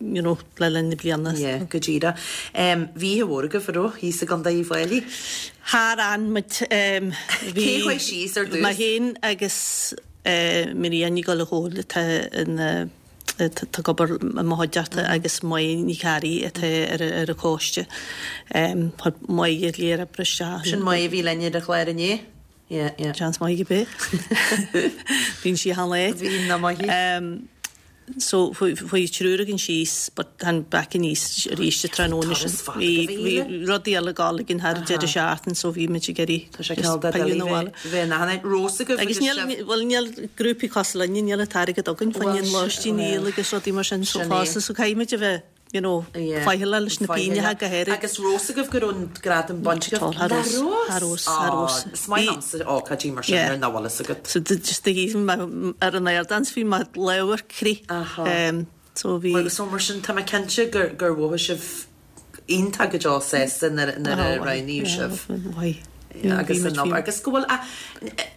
you know, le linn na bliana. Yeah, go díreach. Bhí oíche mhór agaibh, an raibh, thíos i gContae Uíbh Fhailí? Char fhan muid, bhí. Cé chuaigh síos ar dtús? Mé féin agus Maria Ní Ghallchóir atá ina atá ag obair i mo chuideachta agus Máire Ní Chearraigh atá ar an choiste. Chuir Máire léar oibre isteach. Sin Máire a bhí linn ar an chlár inné? Yeah, yeah. Seans maith gurb é. Bíonn sí achan lá. Bíonn, nach maith í. So chuaigh triúr againn síos but tháinig back aníos arís an tráthnóna sin. Bhí turas fada go bhí. Rudaí eile ag gabháil againn thar an deireadh seachtaine so bhí muid ag iarraidh Tá sé cineál de doiligh bheith in achan áit. Raibh a fhios agaibh Agus níl, bhuel níl grúpaí cosúil linne, níl an t-airgead againn fá choinne an lóistín a dhíol agus rudaí mar sin so fosta so caithfidh muid a bheith, you know, faichilleach leis na pingneacha go háirid. Agus raibh a fhios agaibh go raibh an gradam bainte agaibh? Cha raibh, cha raibh, cha raibh. Is maith liomsa ócáidí mar sin nuair nach bhfuil fhios agat. So just a bhí mé ar an ardán 's bhí mo lámha ag crith. So bhí. So mar sin tá mé cinnte gur mhothaigh sibh iontach go deo sásta nuair a roghnaíodh sibh. Agus an obair agus go bhfuil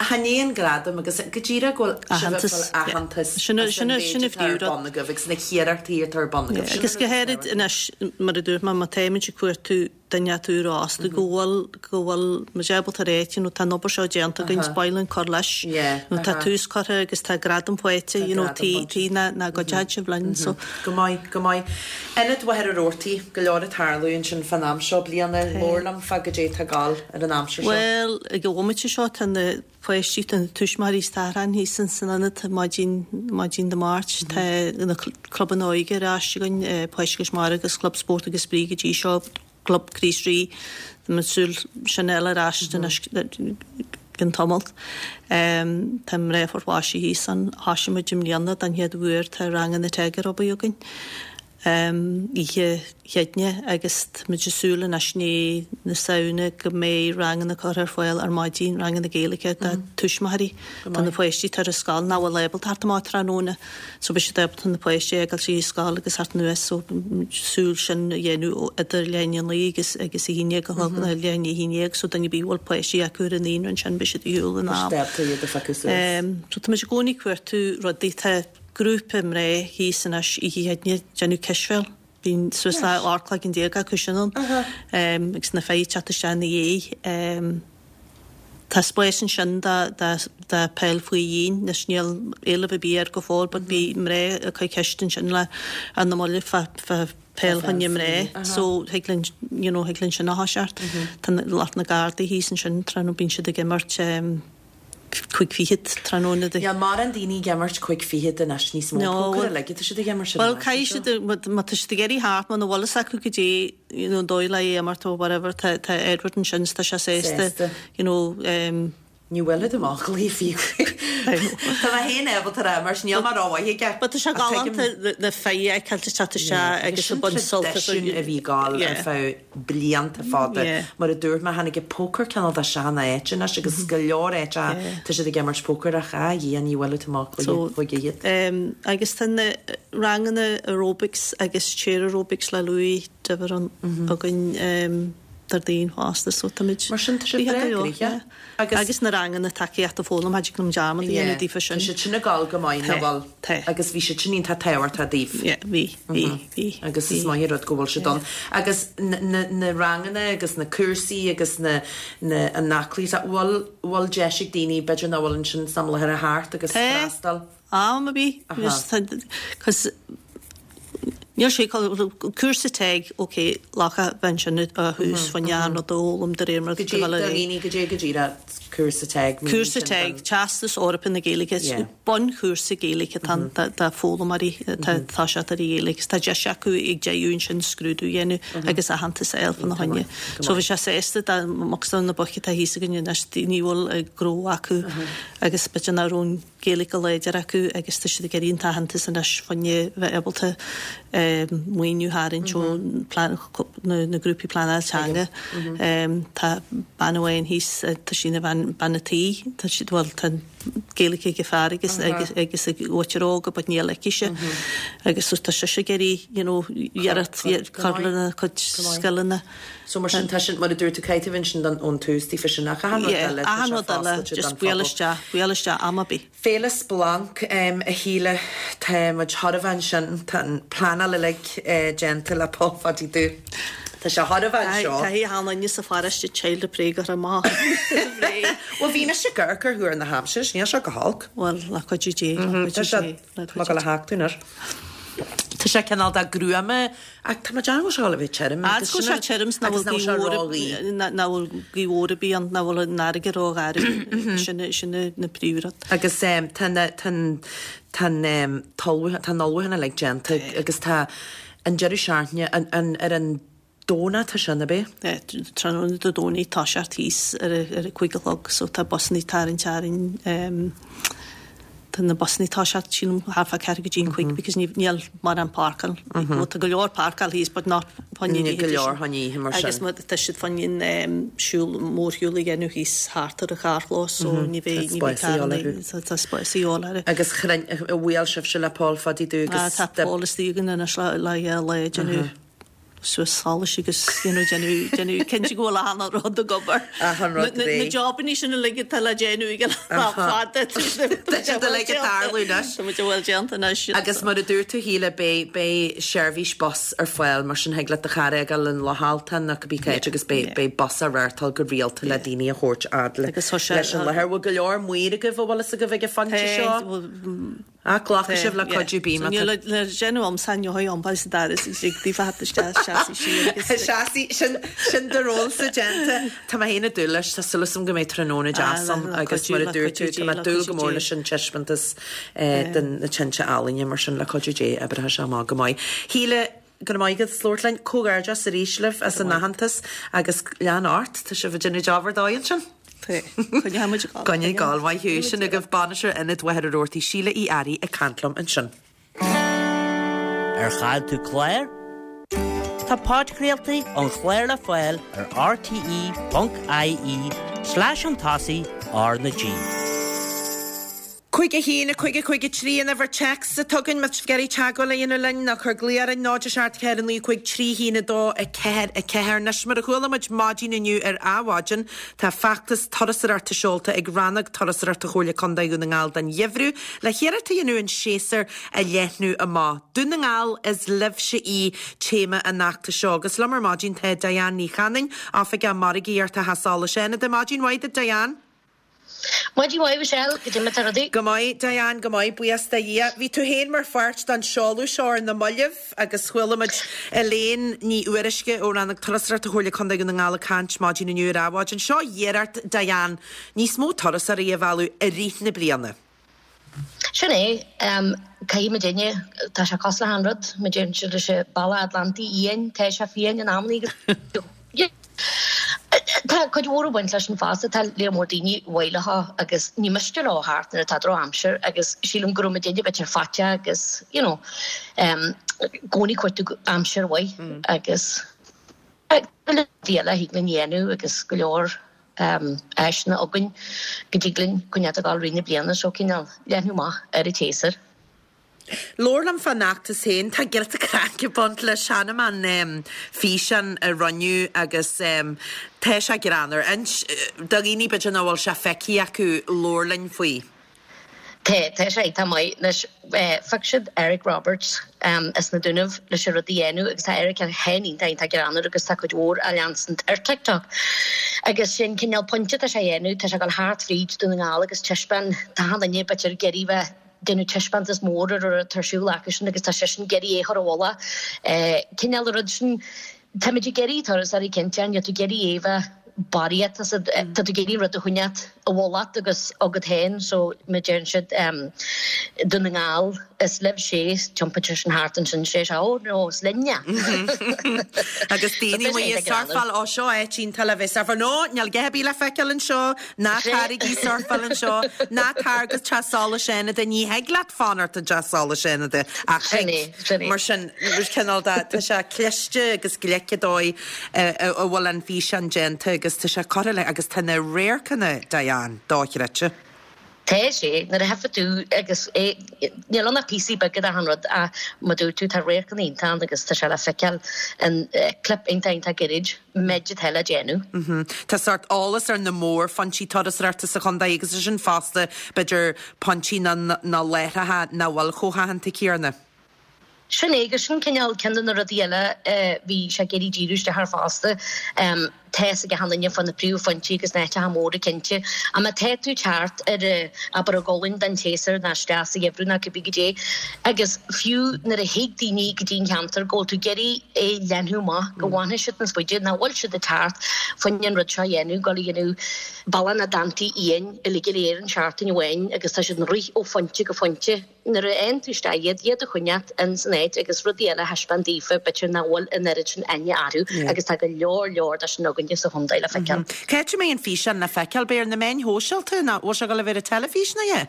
chan é an gradam agus go díreach go bhfuil sibh ag fáil aitheantas as an mhéid atá ar bun agaibh agus na hiarrachtaí atá ar bun agaibh. Agus go háirid anois mar a dúirt mé má táimid ag cuartú duine atá úr-fhásta go bhfuil, go bhfuil muid ábalta a rá you know tá an obair seo déanta againn, is maith linn cur leis, nó tá tús curtha agus tá gradam faighte, you know tí, tí ná, ná gcuideoidh sibh linn so. Go maith, go maith. Ionad Mhachaire Rabhartaigh, go leor ag tarlú ansin fán am seo bliana, labhair liom fá goidé atá ag gabháil ar an aimsir seo. Bhuel, ag an bhomaite seo tá na páistí, tá na tuismitheoirí is t-athrán thíos san ionad maidin, maidin Dé Máirt. Tá na clubanna óige ar ais againn, Páistí Chois Mara agus Club Spórt agus Spraoi go dtí seo, Club Chríost Rí, tá muid ag súil sin a fháil ar ais anois i gcionn tamaill. Tá mná Phort Laoise thíos ann. Thoisigh muid i mbliana den chéad uair, tá ranganna TEG ar obair againn oíche Chéadaoine agus tá muid ag súil anois i ndiaidh na Samhna go mbeidh ranganna curtha ar fáil ar maidin, ranganna Gaeilge do tuismitheoirí, do na páistí atá ar an scoil nach bhfuil ábalta theacht amach tráthnóna. So beidh siad ábalta na páistí a fhágáil sa scoil agus theacht anuas so súil sin a dhéanamh idir leath i ndiaidh a naoi agus agus a haon déag a chlog nó leath i ndiaidh a haon déag so duine ar bith a bhfuil páistí acu ar an naíonra ansin beidh siad ar shiúl in am. Beidh siad ábalta iad a phiocadh suas. So tá muid i gcónaí ag cuartú rudaí. Tá grúpa mná thíos anois oíche Chéadaoine ag déanamh cispheil. Bíonn suas le 18 cloigeann acu sin ann agus na fir ag teacht isteach ina dhiaidh. Tá spás ansin do peil faoi dhíon. Anois níl éileamh ar bith air go fóill but bhí mná ag cur ceist ansin le ar na mallaibh fá peil choinne mná so thig linn you know thig linn sin a thoiseacht. Tá lucht na Gardaí thíos ansin tráthnóna bíonn siad ag imirt 5:20 tráthnóna de. Níl mórán daoine ag imirt 5:20 anois níos mó. Pócair uilig atá siad ag imirt ar an Bhuel caithfidh siad má tá siad ag iarraidh theacht muna bhfuil fhios acu goidé you know an dóigh le é a imirt or whatever tá tá Edward ansin is tá sé sásta you know um, Ní bhfuil amach le fiú. Tá mé féin ábalta a imirt, níl mé rómhaith aige. But tá sé galánta na fir a fheiceáil ag teacht isteach agus ag baint sult as. Sin traidisiún a bhí ag gabháil ar feadh blianta fada. Mar a dúirt mé, tháinig an pócar cineál de isteach ina áit anois agus go leor áiteacha tá siad ag imirt pócair ach a Dhia ní bhfuil tú amach chuige iad. Agus tá na ranganna aerobics agus chair aerobics le Louis Diver againn Déardaoin fosta so táimid Mar sin tá sé breá gnoitheach. Agus na ranganna tacaíochta foghlama, cha dtig liom dearmad a dhéanamh daofa sin. Tá siad sin ag gabháil go maith, nach bhfuil? Tá. Agus bhí siad sin iontach tábhachtach daoibh. Yeah, bhí, bhí, bhí. Agus is maith an rud go bhfuil siad ann. Agus na ranganna agus na cúrsaí agus na, na, an aclaíocht, bhfuil, bhfuil deis ag daoine, b'fhéidir nach bhfuil ansin sna láthair a theacht agus freastal? Am ar bith. Cos níl sé cúrsa TEG ok lacha bheith ansin ó thús fá choinne an rud a fhoghlaim de réir mar atá go dhaoine go dté go díreach cúrsa TEG. Cúrsa TEG, Teastas Eorpach na Gaeilge, bunchúrsa Gaeilge atá ann do foghlaimeoirí atá ag toiseacht ar an Ghaeilge agus tá deis acu ag deireadh ansin scrúdú a dhéanamh agus aitheantas a fháil fána choinne. So bhí sé sásta dá mbeadh na boicht atá thíos againn anois, daoine a bhfuil gnó acu agus b'fhéidir nach raibh an Gaeilge go láidir acu agus tá siad ag iarraidh an t-aitheantas anois fá choinne bheith ábalta maoiniú a tharraingt ó na grúpaí pleanáil teanga. Tá bean amháin thíos, tá sí ina bhean bean bean a' tí, tá siad, bhuel tá Gaeilge ag an fear agus agus agus ag mhuintir óga but níl aicise agus so tá sise ag iarraidh you know iarracht cur lena cuid scileanna. So mar sin tá sin, mar a dúirt tú, caithfidh ansin don ón tús daofa sin ach achan rud eile, tá sé foscailte don phobal. Buail isteach, buail isteach am ar bith. Féile Splanc, a Shíle, tá muid chóir a bheith ansin, tá an pleanáil uilig déanta le Pól Pháidí Dubh. Tá sé chóir a bheith anseo. Caithfidh achan duine sa pharóiste child a pray go raibh maith. Bhuel bhí mise ag amharc ar thuar na haimsire, níl sé go holc. Bhuel, le cuidiú Dé, le cuidiú Dé. Tá mé ag dul a theacht anois. Tá sé cineál de gruama ach tá mé ag déanamh go bhfuil sé ag dul a bheith tirim agus sin an tirim 's nach bhfuil gaoth mhór nach bhfuil gaoth mhór ar bith ann, nach bhfuil an fharraige rógharbh. Sin sin na príomhrud. Agus tá na tá an tá an t-ullmhú tá an ullmhúchán uilig déanta agus tá an deireadh seachtaine an an ar an Domhnach tá sin, ab é? Tráthnóna Dé Domhnaigh toiseacht thíos ar a 5 a chlog so tá busannaí ag tarraingt orainn tá na busannaí toiseacht sílim thart fá ceathrú go dtí an 5 because níl mórán páirceáil well tá go leor páirceáil thíos but not fá choinne Níl go leor fá choinne oíche mar sin. Agus tá siad fá choinne siúl mórshiúl a dhéanamh thíos thart ar an charrchlós so ní bheidh ní bheidh carranna tá spás a dhíobháil orthu. Agus bhuail sibhse le Pól Pháidí Dubh agus Tá Pól istigh againn anois le le lá ag déanamh suas solais agus you know déanamh déanamh cinnte go bhfuil achan rud ag obair. Achan rud Na réidh. jobannaí sin uilig atá le déanamh ag an am fada tá siad uilig ag tarlú anois. Tá muid bhfuil déanta anois. Agus mar a dúirt tú Shíle beidh beidh seirbhís bus ar fáil mar sin thig leat do charr a fhágáil in Loch Altan nó cibé cá háit agus beidh beidh bus á reáchtáil go rialta le daoine a thabhairt fhad le leis an láthair. Bhfuil go leor maoir agaibh a bhfuil fhios agaibh ag an phointe seo? Ach glacfaidh sibh le cuidiú bím ata. Níl le déanamh a'msa inniu iompar sa doras is ag daofa theacht isteach seasaigh siar agus. Seasaigh, sin, sin do rólsa déanta. Tá mé féin ag dúil leis, tá súil agam go mbeidh tráthnóna deas ann agus mar a dúirt tú, tá mé ag dúil go mór leis an taispeántas de na tinte ealaíne mar sin le cuidiú Dé oibreoidh sé amach go maith. Shíle, go raibh maith agat as labhairt linn. Comhghairdeas arís libh as an aitheantas agus lean ort, tá sibh ag déanamh job ar dóigh ansin. Coinneoidh muid ag gabháil. Coinnigh ag gabháil, maith thú. Sin agaibh Bainisteoir Ionad Mhachaire Rabhartaigh, Síle Uí Fhearraigh ag caint liom ansin. Ar chaill tú clár? Tá podchraoltaí an chláir le fáil ar rte.ie slash chun tosaigh R na G. 5 1 5 5 3 an uimhir téacs atá againn má tá sibh ag iarraidh teagmháil a dhéanamh linn nó cuir glao orainn 0 7 4 9 5 3 1 2 4 4 Anois mar a chuala muid maidin inniu ar Adhmhaidin tá feachtas turasóireachta seolta ag Rannóg Turasóireachta Chomhairle Contae Dhún na nGall don gheimhreadh le hiarracht a dhéanamh an séasúr a leathnú amach. Dún na nGall is libhse í téama an fheachtais seo agus liom ar maidin tá Diane Ní Chanainn, Oifigeach Margaíochta Theach Solais Fhánada. Maidin mhaith duit Diane. Maidin mhaith, Michelle, goidé mar tá rudaí. Go maith, Diane, go maith, buíochas do Dhia. Bhí tú féin mar pháirt den seoladh seo ar na mallaibh agus chuala muid Elaine Ní Fhuaruisce ó Rannóg Turasóireachta Chomhairle Contae Dhún na nGall ag caint maidin inniu ar Adhmhaidin. Seo iarracht, Diane, níos mó turasóirí a mhealladh i rith na bliana. Sin é. Caithfidh muidinne, tá sé cosúil le achan rud, mar deireann siad leis an bealach Atlantaigh Fhiáin, tá sé fiáin in amannaí agus tá cuid mhór ag baint leis sin fosta, tá léar mór daoine baileach agus ní miste leo theacht nuair atá drochaimsir agus sílim go raibh muidinne b'fhéidir faiteach agus you know i gcónaí ag cuartú aimsir mhaith agus go leor rudaí eile a thig linn a dhéanamh agus go leor áiseanna againn go dtig linn coinneáil ag dul rith na bliana so cineál leathnú amach ar an tséasúr. Labhair liom fán fheachtas féin. Tá giota craic ag baint leis. Chonaic mé an físeán a rinneadh agus tá sé greannmhar. Inis do dhaoine b'fhéidir nach bhfuil sé feicthe acu, labhair linn faoi. Tá, tá sé iontach maith. Anois, phioc siad Eric Roberts as na Dúnaibh leis an rud a dhéanamh agus tá Eric féin iontach, iontach greannmhar agus tá cuid mhór á leanstant ar TikTok. Agus sin cineál pointe atá sé a dhéanamh, tá sé ag dul thart fríd Dún na nGall agus taispeáin, tá achan duine b'fhéidir ag iarraidh bheith déanamh taispeántas mór ar an rud atá ar siúl acusan agus tá seisean ag iarraidh é a chur i bhfolach. Cineál an rud sin, táimid ag iarraidh turasóirí cinnte, níl tú ag iarraidh é bheith barraíocht, tá tú ag iarraidh rud a choinneáilt i bhfolach agus agat féin so mar deireann siad Dún na nGall is libhse é, tiompaíonn seisean thart ansin sé sé oh no is linne. Agus daoine amuigh ag surfáil, ó seo áit iontach le bheith surfáil, no níl a dhath ar bith le feiceáil anseo, ná taraigí surfáil anseo, ná tar go teach solais Fhánada, ní thig leat fanacht i dteach solais Fhánada ach thig, mar sin cineál de, tá sé cliste agus glic an dóigh a bhfuil an físeán déanta. agus tá sé curtha le agus tá na radharcanna, Diane, dochreidte. Tá sé, nuair a thiocfas tú agus é, níl ann ach píosaí beaga d'achan rud ach mar dúirt tú tá radharcanna iontach ann agus tá sé le feiceáil in clip iontach iontach gairid, méid atá le déanamh. Tá sórt eolas ar na mórphointí turasóireachta sa chontae agus ansin fosta b'fhéidir pointí nó láithreacha nach bhfuil chomh haitheanta céanna. Sin é, agus sin cineál ceann de na rudaí eile a bhí sé ag iarraidh díriú isteach air fosta. Tá fhios ag achan duine fá na príomhphointí agus na háiteacha móra cinnte. Ach má tá tú teacht ar, abair, ag gabháil don tséasúr ná isteach sa gheimhreadh ná cibé goidé, agus fiú nuair a thig daoine go dtí an cheantar go bhfuil tú ag iarraidh é leathnú amach, go bhfanfaidh siad níos faide, nach bhfuil siad ag teacht fá choinne an rud seo a dhéanamh, dul a dhéanamh Bealach na dTonntaí Fhiáin uilig go léir in seachtain amháin agus tá siad ag rith ó phointe go pointe. Nuair a fhaigheann tú isteach iad, iad a choinneáilt in san áit agus rudaí eile a thaispeáint daofa, b'fhéidir nach bhfuil an oiread sin aithne orthu agus tá go leor leor de sin againne sa chontae le feiceáil. Cá háit a mbeidh an físeán le feiceáil? Beidh ar na meáin shóisialta nó bhfuil sé ag dul a bheith ar an teilifís nó é?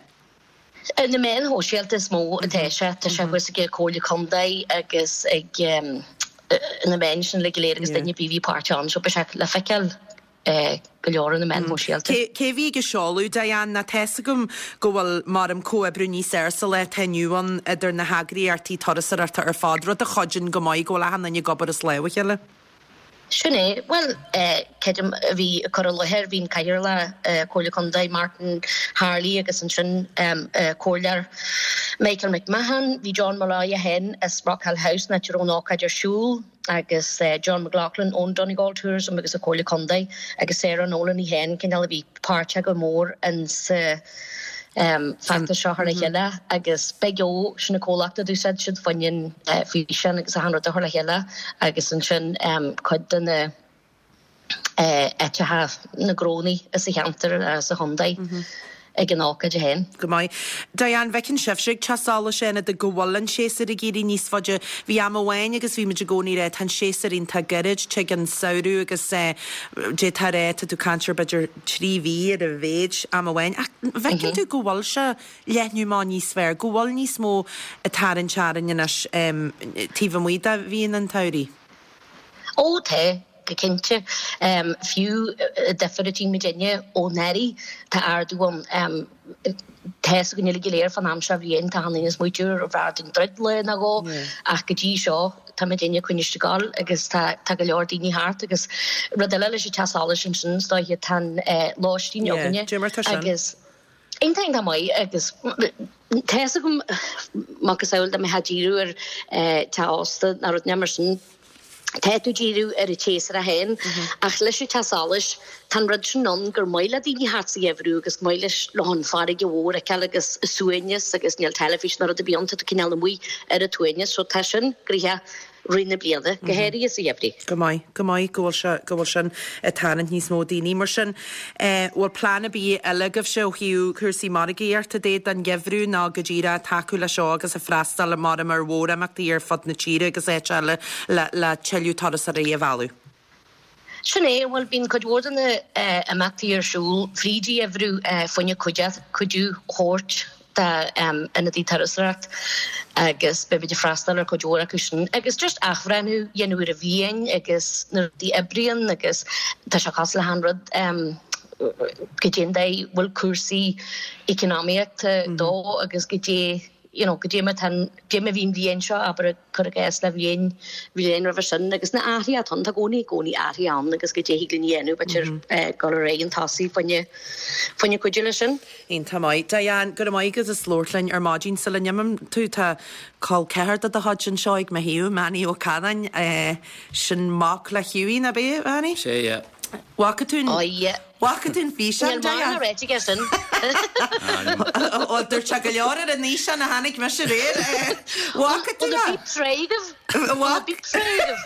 Ar na meáin shóisialta is mó atá sé. Tá sé thuas ag Comhairle Contae agus ag na meáin sin uilig go léir agus duine ar bith a bhí páirteach ann so beidh sé le feiceáil. go leor ar na meáin shóisialta. Cé a bhí ag an seoladh, Diane? Nó tá's agam go bhfuil maram comhoibriú níos fhearr sa lá atá inniu ann idir na heagraíochtaí turasóireachta ar fad, rud a chuidíonn go maith go bhfuil achan duine ag obair as lámh a chéile. Sin é. Bhuel, creidim a bhí ag cur i láthair, bhí an Cathaoirleach Comhairle Contae Martin Harley agus ansin Comhairleoir Michael McMahon, bhí John Molloy é féin as Rockhill House, an áit a raibh an ócáid ar siúl. agus John McLaughlin ón Donegal Tourism agus an Comhairle Contae agus Sarah Nolan í féin, cineál a bhí páirteach go mór in sa feachtas seo thar a chéile agus Big O, sin an comhlacht a d'úsáid siad fá choinne an físeán agus achan rud a chur le chéile agus ansin cuid de na áiteacha, na gnónnaí sa cheantar sa chontae ag an ócáid féin. Go maith. Diane, bhfeiceann sibhse ag Teach Solais Fhánada go bhfuil an séasúr ag éirí níos faide. Bhí am amháin agus bhí muid i gcónaí ag rá tá an séasúr iontach gairid, tig an samhradh agus d'fhéadfá a rá tá tú ag caint ar b'fhéidir 3 mhí ar a mhéid am amháin ach bhfeiceann tú go bhfuil sé leathnú amach níos fearr, go bhfuil níos mó ag tarraingt orainn anois taobh amuigh de mhíonna an tsamhraidh? Ó tá, go cinnte. Fiú difear a tchí muidinne ó anuraidh, tá ardú ann. Tá fhios againn uilig go léir fán am seo bhliain, tá achan duine ag smaoitiú ar bhfearr dúinn druid lá nó dhó ach go dtí seo tá muidinne ag coinneáil ag gabháil agus tá tá go leor daoine thart agus rud eile leis an teach solais ansin is dóiche tá an lóistín againne agus Iontach iontach maith agus tá fhios agam macasamhail dá mbeifeá ag díriú ar teach ósta nó rud mar sin, tá tú ag díriú ar an tséasúr é féin ach leis an teach solais tá an rud sin ann gur maith le daoine theacht sa gheimhreadh agus maith leis leo an farraige mhór a fheiceáil agus an suaimhneas agus níl teilifís ná rud ar bith ann tá tú cineál amuigh ar an tsuaimhneas so tá sin gnoitheach rith na bliana, go háirithe sa gheimhreadh. Go maith, go maith go bhfuil sé, go bhfuil sin ag tarraingt níos mó daoine. Mar sin, eh, bhfuil plean ar bith eile agaibhse ó thaobh cúrsaí margaíochta de don gheimhreadh nó go díreach tacú leis seo agus ag freastal maram ar mhórimeachtaí ar fud na tíre agus áit eile le, le tuilleadh turasóirí a mhealladh? Sin é, bhuel, bíonn cuid mhór de na imeachtaí ar siúl fríd an gheimhreadh fá choinne cuidiú a thabhairt d'ionadaí turasóireacht agus beimid ag freastal ar chuid mhór acu sin agus just athbhreithniú a dhéanamh ar an bhliain agus na rudaí a oibríonn agus tá sé cosúil le haon rud goidé an dóigh bhfuil cúrsaí economaíochta dó agus goidé you know, goidé mar tá an, goidé mar a bhí an bhliain seo, abair, cuir i gcás le bhliain, bhliain roimhe sin agus na athruithe atá ann, tá i gcónaí, i gcónaí athruithe ann agus goidé thig linn a dhéanamh, b'fhéidir, dul ar aghaidh chun tosaigh fá choinne, fá choinne cuidiú leis sin. Iontach maith. Diane, go raibh maith agat as labhairt linn ar maidin. Sula n-imíonn tú, tá col ceathar de do chuid anseo ag mo thaobh, Manny Ó Canáin, sin mac le Hughie, nach b'é, Manny? Sé, yeah. Bhfaca tú an. Oh yeah. Bhfaca tú an físeán, Níl mórán ráite aige sin. Bhuel, dúirt sé go leor ar an fhíseán a chonaic mise aréir. Bhfaca tú é? Bhfuil na beeps réidh agaibh? Bhfuil na beeps réidh agaibh?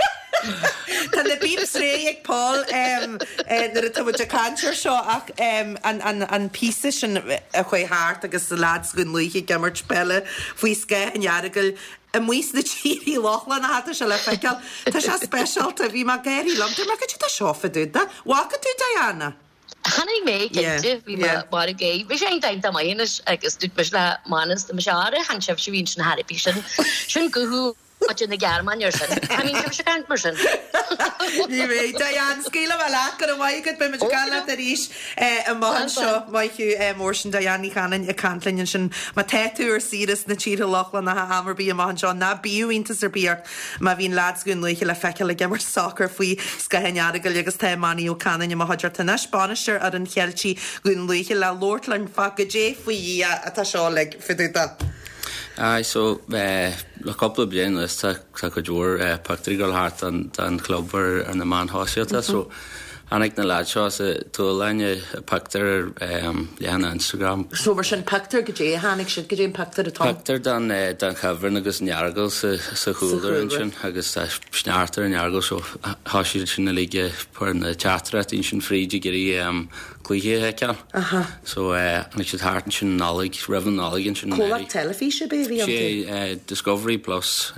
Tá na beeps réidh ag Paul nuair atá muid ag caint air seo ach an píosa sin a chuaigh thart agus leaids Dhún Lúiche ag imirt peile faoi scáth an Earagail, Amuigh sna tírí Lochlannacha tá sé le feiceáil. Tá sé speisialta. Bhí mé ag gáirí liom. Dúirt mé, Cad é seo fá dtaobh de? Bhfaca tú Diana? Chonaic mé, cinnte. Bhí mé marbh gay. Bhí sé iontach iontach maith anois agus dúirt mise le Manus, tá mise áirithe, chan sibhse a bhí ansin thar ar bith sin. Sin guthú. Muintir na Gearmáine ar sin. Cha mbíonn sibhse ag caint mar sin. Ní bheidh. Diane, scaoilfidh mé leat. Go raibh maith agat. Beidh muid ag caint leat arís amach anseo. Maith thú mór sin Diane Ní Chanainn ag caint linn ansin. Má tá tú ar saoire sna tíortha Lochlannacha am ar bith amach anseo, ná bíodh iontas ar bith ort má bhíonn leaids Dhún Lúiche le feiceáil ag imirt sacair faoi scáth an Earagail agus tá Manny Ó Canainn i mo chuideachta anois, bainisteoir fhoireann Cheiltigh Dhún Lúiche le labhairt linn fá goidé faoi Dhia atá seo uilig fá dtaobh de. Aye, so le cúpla bliain anuas tá cuid mhór pictiúirí ag dul thart den chlub ar na meáin shóisialta so tháinig na leaids seo as an tSualainn pictiúr ar leathanach Instagram. So mar sin pictiúr goidé a tháinig siad goidé an pictiúr atá ann? Pictiúr den den chuibhreann agus an Earagail sa sa chúlra ansin agus tá sneachta ar an Earagail so tá siad sin uilig ag cur na teachtaireachtaí ansin fríd ag iarraidh cluiche a fheiceáil. So tháinig siad thart ansin an Nollaig, roimh an Nollaig ansin. Comhlacht teilifíse ab é a bhí iontu? Sé Discovery Plus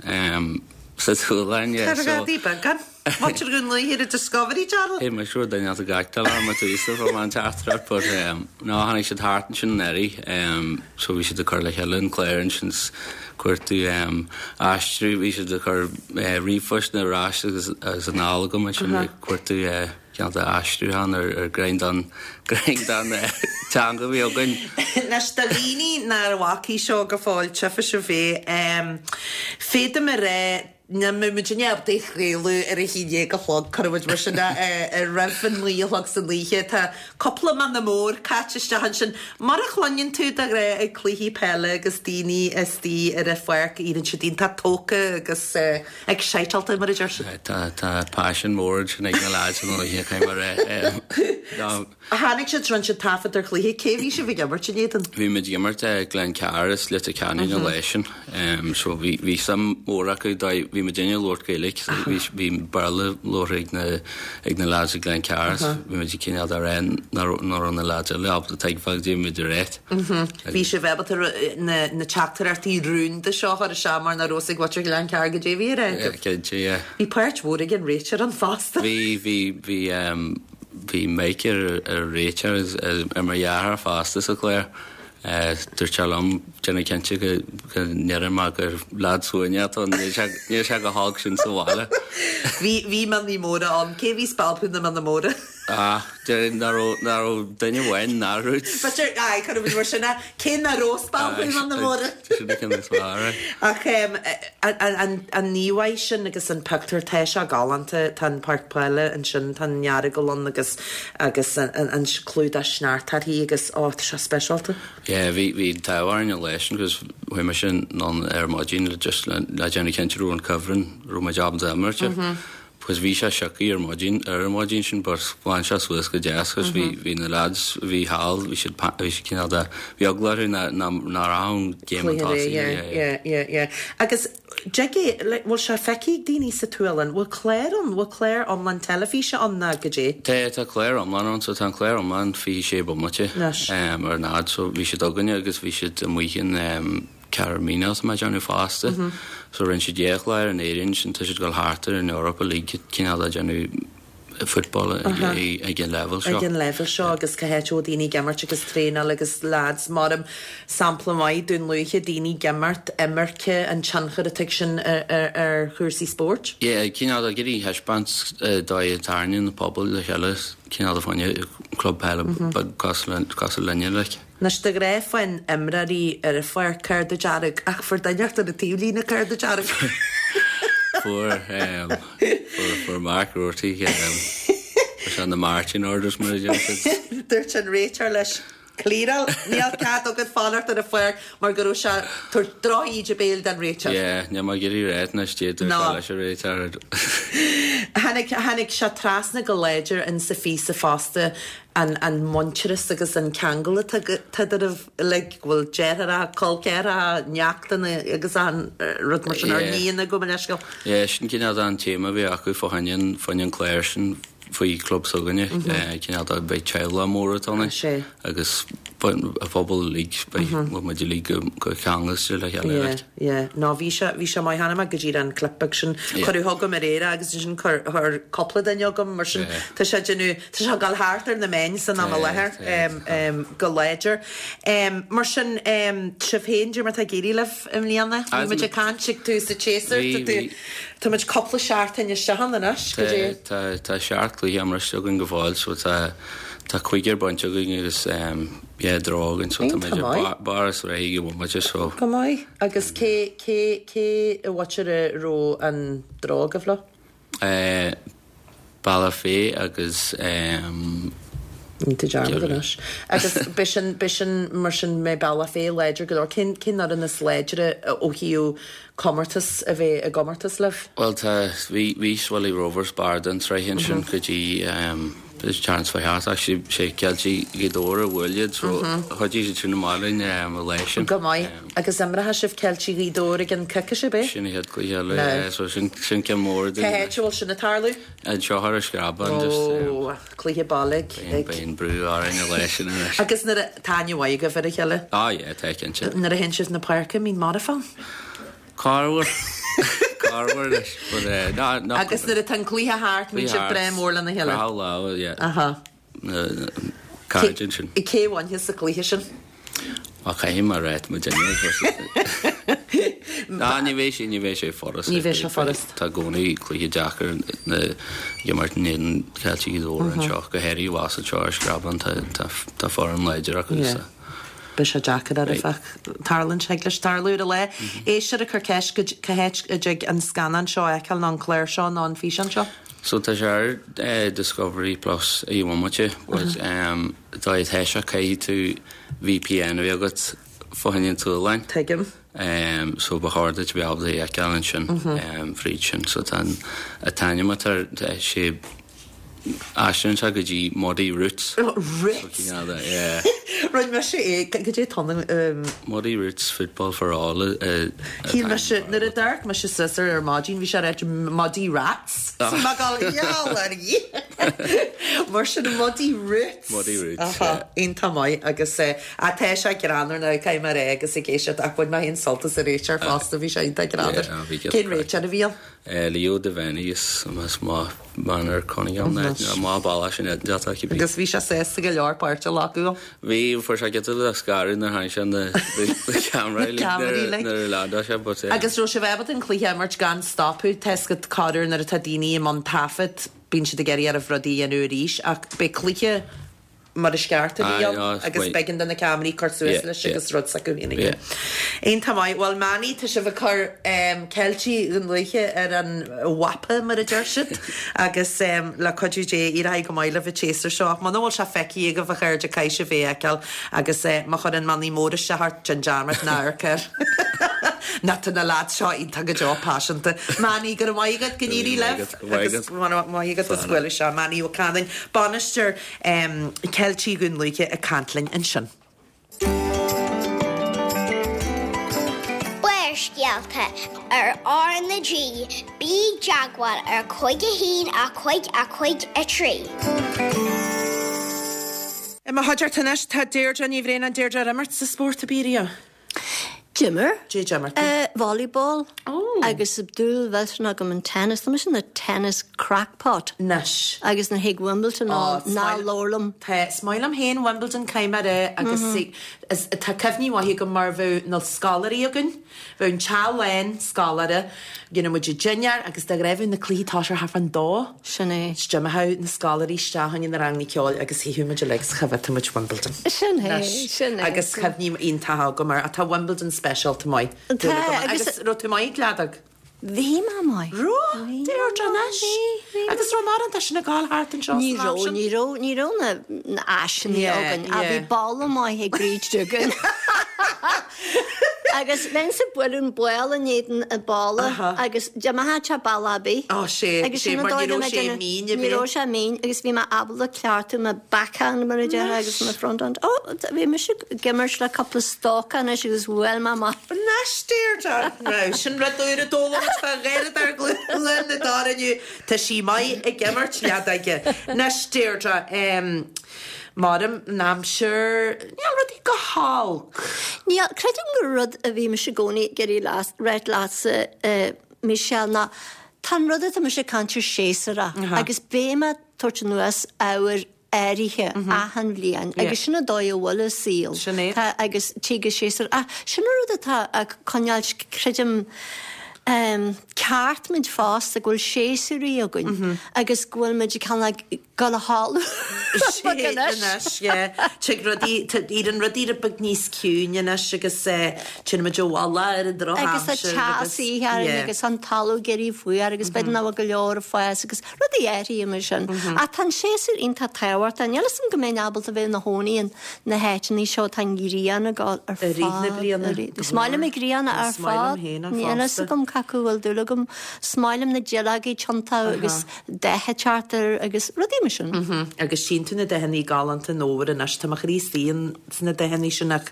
sa tSualainn, yeah. Tá rudaí beaga. Muintir Dhún Lúiche ar an Discovery Channel. Hey, mé sure duine ata gach duine am tú íosta fá an teachtaireacht but no tháinig siad thart ansin anuraidh so bhí siad ag cur le chéile an clár ansin 's cuartú aistriú bhí siad ag cur ríomhphoist ar ais agus agus anall agam ansin ag cuartú cineál de aistriúchán ar ar greim den greim den teanga a bhí againn. Anois do dhaoine nár bhfacaidh seo go fóill tchífidh sibh é. Féadfaidh mé a rá Ní mbeidh muid in ábalta é a chraoladh ar a haon déag a chlog, cuirfidh muid mar sin é, roimh an naoi a chlog san oíche. Tá cúpla mionna mór caite isteach ansin. Mar a chluineann tú de ghnáth ag cluichí peile agus daoine istigh ar an pháirc, éiríonn siad iontach tógtha agus exciteáilte, mar a deir siad. Tá paisean mór ansin ag na leaids an oíche, caithfidh mé a rá. Tháinig siad, rinne siad taifead ar chluiche. Cé bhí sibh ag imirt in éadan? Bhí muid ag imirt Glencar as Leitir Ceanainn an lá sin. So bhí bhí suim mhór acu dóigh bhí muidinne ag labhairt Gaeilge so bhí bhí Béarla labhartha ag na ag na lads i Glencar so bhí muid ag cineál de rá nach raibh nach raibh na lads eile ábalta tuigbheáil goidé bhí muid a rá. Bhí sibh ábalta na na teachtaireachtaí rúnda seo a chur isteach mar nach raibh fhios ag muintir Ghlencar goidé bhí á rá agaibh. Cinnte, yeah. Bhí páirt mhór ag an réiteoir ann fosta. Bhí bhí bhí Bhí Mike ar an réiteoir agus ar mo dheartháir fosta sa chlár. Dúirt sé liom, déanamh cinnte go ndéarfaidh mé gur leaid suaimhneach atá ann, níl sé chomh holc sin sa bhaile. Bhí, bhí mionnaí móra ann. Cé bhí spalpadh na mionna móra? Ah, déarfainn nach raibh, nach raibh duine amháin nach raibh. B'fhéidir, aye, cuirfidh muid mar sin é. Cé nach raibh spalpadh na mionna móra? Sin an ceann is fearr, aye. Ach an íomhá sin agus an pictiúr, tá sé galánta, tá an páirc peile ansin, tá an Earagail ann agus agus an clúdach sneachta uirthi agus, ó, tá sé speisialta. Yeah, bhí bhí an t-ádh orainn an lá sin agus chuaigh mise anonn ar maidin le just le déanamh cinnte go raibh an cuibhreann, raibh muid ábalta imirt air. Because bhí sé sioctha ar maidin, ar an maidin sin but ghlan sé suas go deas agus bhí, bhí na lads a bhí thall, bhí siad, bhí siad cineál de, bhí eagla orthu ná, ná, ná rachadh an game chun tosaigh, yeah, yeah. Yeah, yeah, yeah. Agus dtig é, like, bhfuil sé feicthe ag daoine sa tSualainn, bhfuil clár ann, bhfuil clár iomlán teilifíse ann ná goidé? Tá, tá clár iomlán ann, so tá an clár iomlán 26 bomaite ar an fhad, so bhí siad againne agus bhí siad amuigh in, Cathair Míneach tá mé ag déanamh fosta. So rinne siad dhá chlár in Éirinn ansin tá siad ag dul thart ar an Eoraip uilig cineál ag déanamh football ag an leibhéal seo. Ag an leibhéal seo agus cá háit a bhfuil daoine ag imirt agus traenáil agus lads mar sampla maith Dún Lúiche daoine ag imirt, imirce, an tionchar atá ag sin ar chúrsaí spóirt. Yeah, cineál ag iarraidh thaispeáint dóigh a dtarraingíonn na pobail le chéile cineál de fá choinne club peile beag cosúil linne like. Anois de ghnáth faigheann imreoirí ar an pháirc cárta dearg ach fuair duine inteacht ar an taobhlíne cárta dearg. Fuair, fuair Mark Roarty, fuair sé na marching orders mar a deir siad. Dúirt an réiteoir leis, Clearáil, níl cead agat fanacht ar an pháirc mar go raibh sé ag tabhairt droch-íde béil don réiteoir. Yeah, níl mé ag iarraidh ráit anois goidé dúirt sé leis an réiteoir. Tháinig, tháinig sé trasna go láidir in sa phíosa fosta an an muintearas agus an ceangal atá eadraibh uilig, go bhfuil deartháireacha, col ceathracha, neachtanna agus achan rud mar sin, or nianna gabh mo leithscéal. Yeah, sin cineál de an téama a bhí acu fá choinne an, fá choinne an clár sin faoi chlub s'againne, cineál de beidh teaghlach mór atá ann agus. an phobal uilig, beidh muid uilig go ceangailte le chéile. Yeah, yeah. No, bhí sé, bhí sé maith chonaic mé go díreach an clip beag sin. Cuireadh chugam aréir é agus ansin chuir, chuir cúpla duine chugam mar sin tá sé ag déanamh, tá sé ag dul thart ar na meáin san am i láthair go láidir. Mar sin, sibh féin, cad é mar atá ag éirí libh i mbliana? Bhí muid ag caint ag tús an tséasúir, tá tú, tá muid cúpla seachtain isteach ann anois, go dtí. Tá, tá seacht gcluiche imeartha againn go fóill so tá, tá cúigear bainte againn agus yeah draw againn so tá muid ar barr an sraith ag an bhomaite so. Go maith. Agus cé, cé, cé i bhfaitear a raibh an draw agaibh leo? Eh, Bealach Féich agus ehm. Níl tú dearmad anois. Agus b'shin, b'shin mar sin mbeidh Bealach Féich láidir go leor. Cén, cén fhoireann is láidre ó thaobh comórtas a bheith i gcomórtas libh? Bhuel tá, bhí, bhí Swilly Rovers barr den tsraith ansin go dtí ehm an tseachtain seo thart ach sé, sé Ceiltigh Ghaoth Dobhair a bhuail iad so chuidigh siad sin amach linn ehm an lá sin. Go maith. Agus imreoidh sibh Ceiltigh Ghaoth Dobhair i gceann coicíse, ab é? Sin an chéad chluiche eile, yeah, so sin, sin ceann mór dúinn. Cá háit a bhfuil sin ag tarlú? Anseo ar an Screabán, just. Ó, cluiche baile ag. Beidh an brú orainn an lá sin anois. Agus nuair a, tá aithne mhaith agaibh ar a chéile? Ah yeah, tá cinnte. Nuair a théann sibh na páirce, an mbíonn marfach ann? Corruair. Corruair anois, but eh, ná, ná. Agus nuair atá an cluiche thart, mbíonn sibh breá mór lena chéile? Croitheadh lámha, yeah. Aha. cairde ansin. Cé a bhainfeas sa chluiche sin? Á, caithfidh mé a rá muid Ná, ní bheidh sé, ní bheidh sé furast. Ní bheidh sé furast. Tá i gcónaí cluiche deacair ag imirt in éadan Ceiltigh Ghaoth Dobhair anseo, go háirithe abhus anseo ar Screabán, tá foireann láidir acu. Yeah. Beidh sé deacair oraibh ach tarlaíonn sé, thig leis tarlú ar an lá. Éisteoir ag cur ceist cá háit a dtig an scannán seo a fheiceáil nó an clár seo nó an físeán seo? So tá sé ar Discovery Plus ag an bhomaite but dá atá sé caithfidh tú VPN a bheith agat fá choinne an tSualainn. Tuigim. So ba chóir duit a bheith ábalta é a fheiceáil ansin fríd sin. So tá an t-ainm atá air tá sé aistríonn sé go dtí Muddy Roots. Roots? So cineál de yeah. Rinne mise é, cad é tá Muddy Roots Football for All a Shíl mise, nuair a d'amharc mise suas air ar maidin, bhí sé ag ráit Muddy Rats. So mé ag gabháil, gheall ar Dhia! Mar sin Muddy Roots. Muddy Roots, yeah. Iontach maith agus ah tá sé greannmhar now, caithfidh mé a rá agus ag éisteacht ach bhain mé féin sult as an réiteoir fosta, bhí sé iontach greannmhar. Yeah, bhí Cén réiteoir a bhí ann? Leo Devaney is maith Manor Cunningham ná má balla sin deata aici. Agus bhí sé sásta go leor páirt a ghlacadh ann. Bhí, fuair sé giota de scaradh nuair a tháinig sé na ceamaraí nuair a leandáil sé but. Agus raibh sibh ábalta an cluiche a imirt gan stopadh, tá 'fhios agat corruair nuair atá daoine i mbun taifead bíonn siad ag iarraidh oraibh rudaí a dhéanamh arís ach b'é cluiche mar is ceart a bhí ann agus b'éigean do na ceamaraí cur suas leis agus rud s'acu féin a dhéanamh. Iontach maith. Bhuel Manny, tá sibh ag cur Ceiltigh Dhún Lúiche ar an mhapa mar a deir siad agus le cuidiú Dé éireoidh go maith libh an tséasúr seo. Ach muna bhfuil sé feicthe agaibh a chairde caithfidh sibh é a fheiceáil agus má chuireann Manny Mór isteach ort déan dearmad ná amharc air. Ná tá na lads seo iontach go deo paiseanta. Manny, go raibh maith agat, go n-éirí libh agus go raibh maith agat as bualadh isteach. Manny Ó Canainn, bainisteoir Ceiltigh Dhún Lúiche ag caint linn ansin. Barrscéalta ar R na G, bí i dteagmháil ar 5 1 5 5 3. I mo chuideachta anois tá Deirdre Ní Bhraonáin. Deirdre, ar imir tú spórt ar bith riamh? D'imir. Cad é d'imir tú? Volleyball. Agus dúil mhillteanach agam an tennis. Tá mise ina tennis crackpot. Anois. Agus nuair a thig Wimbledon ann, ná labhair liom. Tá, is maith liom féin Wimbledon, caithfidh mé a rá, agus is, tá cuimhní mhaithe agam mar bheadh na scoláirí againn, bheadh an teach lán scoláire, dhéanadh muid dinnéar agus de ghnáth bheadh na cluichí tosaithe thart fán dó. Sin é. 'S d'imeodh na scoláirí isteach chuig na ranganna ceoil agus shuíodh muid uilig 's choimhéadfadh muid Wimbledon. Sin é, sin é. Agus cuimhní iontacha agam air. Tá Wimbledon speisialta maith. Tá, agus. Agus raibh tú maith ag leadóg? Bhí mé maith. Raibh? Deirdre anois. Bhí, bhí. Agus raibh mórán de sin ag gabháil thart anseo san am sin? Ní raibh, ní raibh, ní raibh na, na áiseanna againn. Ach bhí balla maith ag Bríd Duggan. Agus bheinnse ag bualadh an ball in éadan an balla agus d'imeodh sé bealach ar bith. Ó sé, Agus sé, sin an mar dóigh ní a raibh bhí mé sé ag déanamh- mín ar Ní bith. raibh sé mín agus bhí mé ábalta ceartú mo backhand mar a déarfá agus mo fronthand. Ó, bhí mise ag imirt le cúpla stoca anois agus bhuail mé amach. Anois Deirdre! Now, sin rud úr a d'fhoghlaim muid fá Dheirdre Chluain na dTor inniu. Tá sí maith ag imirt leadóige. Anois Deirdre, em, maram, an aimsir, níl rudaí. go holc. Níl, creidim gur rud a bhí mise i gcónaí ag iarraidh ráit leatsa, Michelle, ná tá an rud atá mise ag caint ar séasúrach agus beidh mé ag tabhairt anuas ábhair áirithe achan bhliain agus sin an dóigh a bhfuil an saol. Sin é. Tá agus tig an séasúr ach sin an rud atá ag coinneáil creidim ceart muid fosta go bhfuil séasúraí againn agus go bhfuil muid ag cineál ag dul a chodladh beag anois. Anois, yeah. Tig rudaí, éiríonn rudaí rud beag níos ciúine anois agus téann muid abhaile ar an drochaimsir agus. Agus tá teas oíche orainn agus an talamh ag éirí fuar agus b'fhéidir nach bhfuil go leor ag fás agus Rudaí áirithe mar sin. Ach tá an séasúr iontach tábhachtach. Níl fhios agam go mbeinn ábalta bheith ina chónaí in na háiteanna seo tá an ghrian ag dul ar I rith na fad. bliana. Is maith liom an ghrian ar Is maith liom fad. féin Níl fhios fosta. agam cad chuige a bhfuil dúil agam. Is maith liom na duilleogaí ag tiontú agus dath ag teacht air agus rudaí mar sin. Agus tchíonn tú na dathanna galánta an fhómhair anois. Tá mo chroí istigh in sna dathanna sin ach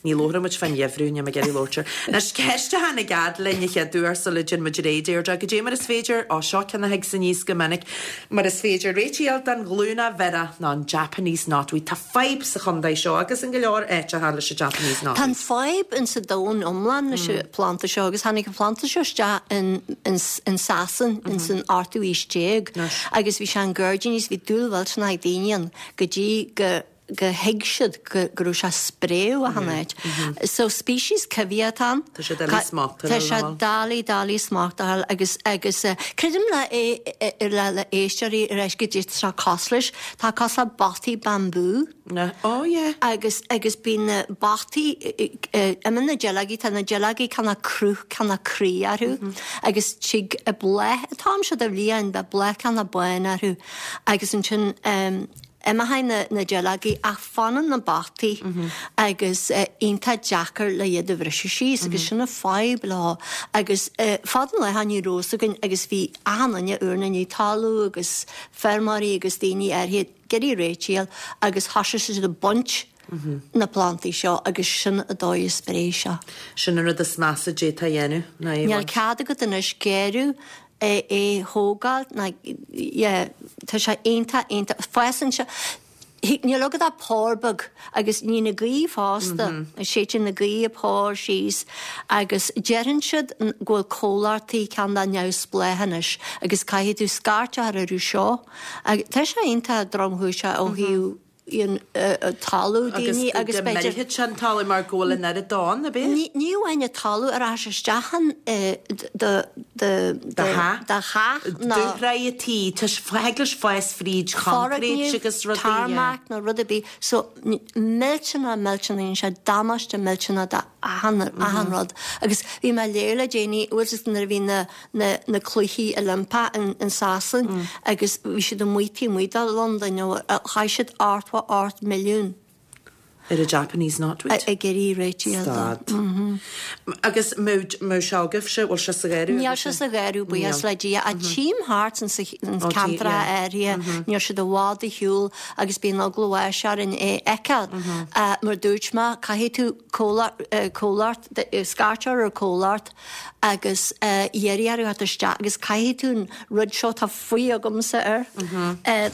ní labhróidh muid fán gheimhreadh, níl mé ag iarraidh labhairt air. Anois, ceist a tháinig fhad linn a chéad uair sula dtéann muid ar aghaidh, Deirdre, goidé mar is féidir, ó seo ceann a thig aníos go minic, mar is féidir réiteach a fháil don ghlúnach bhiorach nó an Japanese knotweed. Tá fadhb sa chontae seo agus in go leor áiteacha leis an Japanese Tá an knotweed. fadhb in sa domhan iomlán leis an phlanda seo agus tháinig an planda seo isteach in in Sasain in san ochtú aois déag agus bhí sé in gairdíní is bhí dúil mhillteanach ag daoine ann go dtí go go thuig siad go go raibh sé ag spréadh achan áit. So species coimhthíoch atá ann. Tá sé doiligh smacht a Tá fháil sé ar. doiligh doiligh smacht a fháil agus agus creidim le le le éisteoirí ar ais go dtí tá sé cosúil leis, tá cosúil le botaí bambú. Oh yeah. Agus agus bíonn na botaí imíonn na duilleogaí, tá na duilleogaí cineál cruth cineál croí orthu agus tig bláth, an t-am seo de bhliain beidh bláth cineál bán orthu agus ansin Imeochaidh na duilleogaí ach fanann na botaí agus iontach deacair le iad a bhriseadh síos agus sin an fadhb leo agus fad an lae ní raibh fhios againn agus bhí achan duine úr ina ndiaidh talamh agus feirmeoirí agus daoine áirithe ag iarraidh réiteach a fháil agus thosaigh siad ag baint na plantaí seo agus sin an dóigh a spréigh sé. Sin an rud is measa a d'fhéadfá a dhéanamh ná é a Níl bhaint. cead agat anois gearradh é a thógáil ná yeah tá sé iontach iontach fásann sé níl agat ach pár beag agus ní na gaoth fosta séideann na gaoth an pár síos agus deireann siad go bhfuil comhlachtaí cineál neamhspleách anois agus caithfidh tú scairt a chur orthu seo agus tá sé iontach dromchúiseach ó thaobh talamh daoine agus go millfidh sé an talamh mar go bhfuil an oiread dó ann, ab é? Ní amháin an talamh a rachaidh sé isteach in do do theach nó. Dúshraith an tí, thig leis fás fríd choincréit agus rudaí. Tarmac nó rud ar bith. So millteanach millteanach dhéanann sé damáiste millteanach do achan achan rud. Agus bhí mé ag léamh le déanaí, bhfuil fhios agat nuair a bhí na na na cluichí Oilimpeach in in Sasain agus bhí siad amuigh taobh amuigh de Londain nó chaith siad 88 milliún Ar an Japanese knotweed? ag iarraidh réiteach a fháil dó. Stad. Agus mbeadh sé agaibhse, bhfuil sé sa gharradh Níl sé sa gharradh, buíochas le Dia, ach tchím thart ins an ceantar áirithe, níl siad i bhfad ar shiúl agus bíonn eagla bháis orainn é a fheiceáil. Mar dúirt mé, caithfidh tú comhlacht, scairt a chur ar comhlacht agus iarraidh orthu theacht isteach agus caithfidh tú an rud seo, tá faoi agamsa air,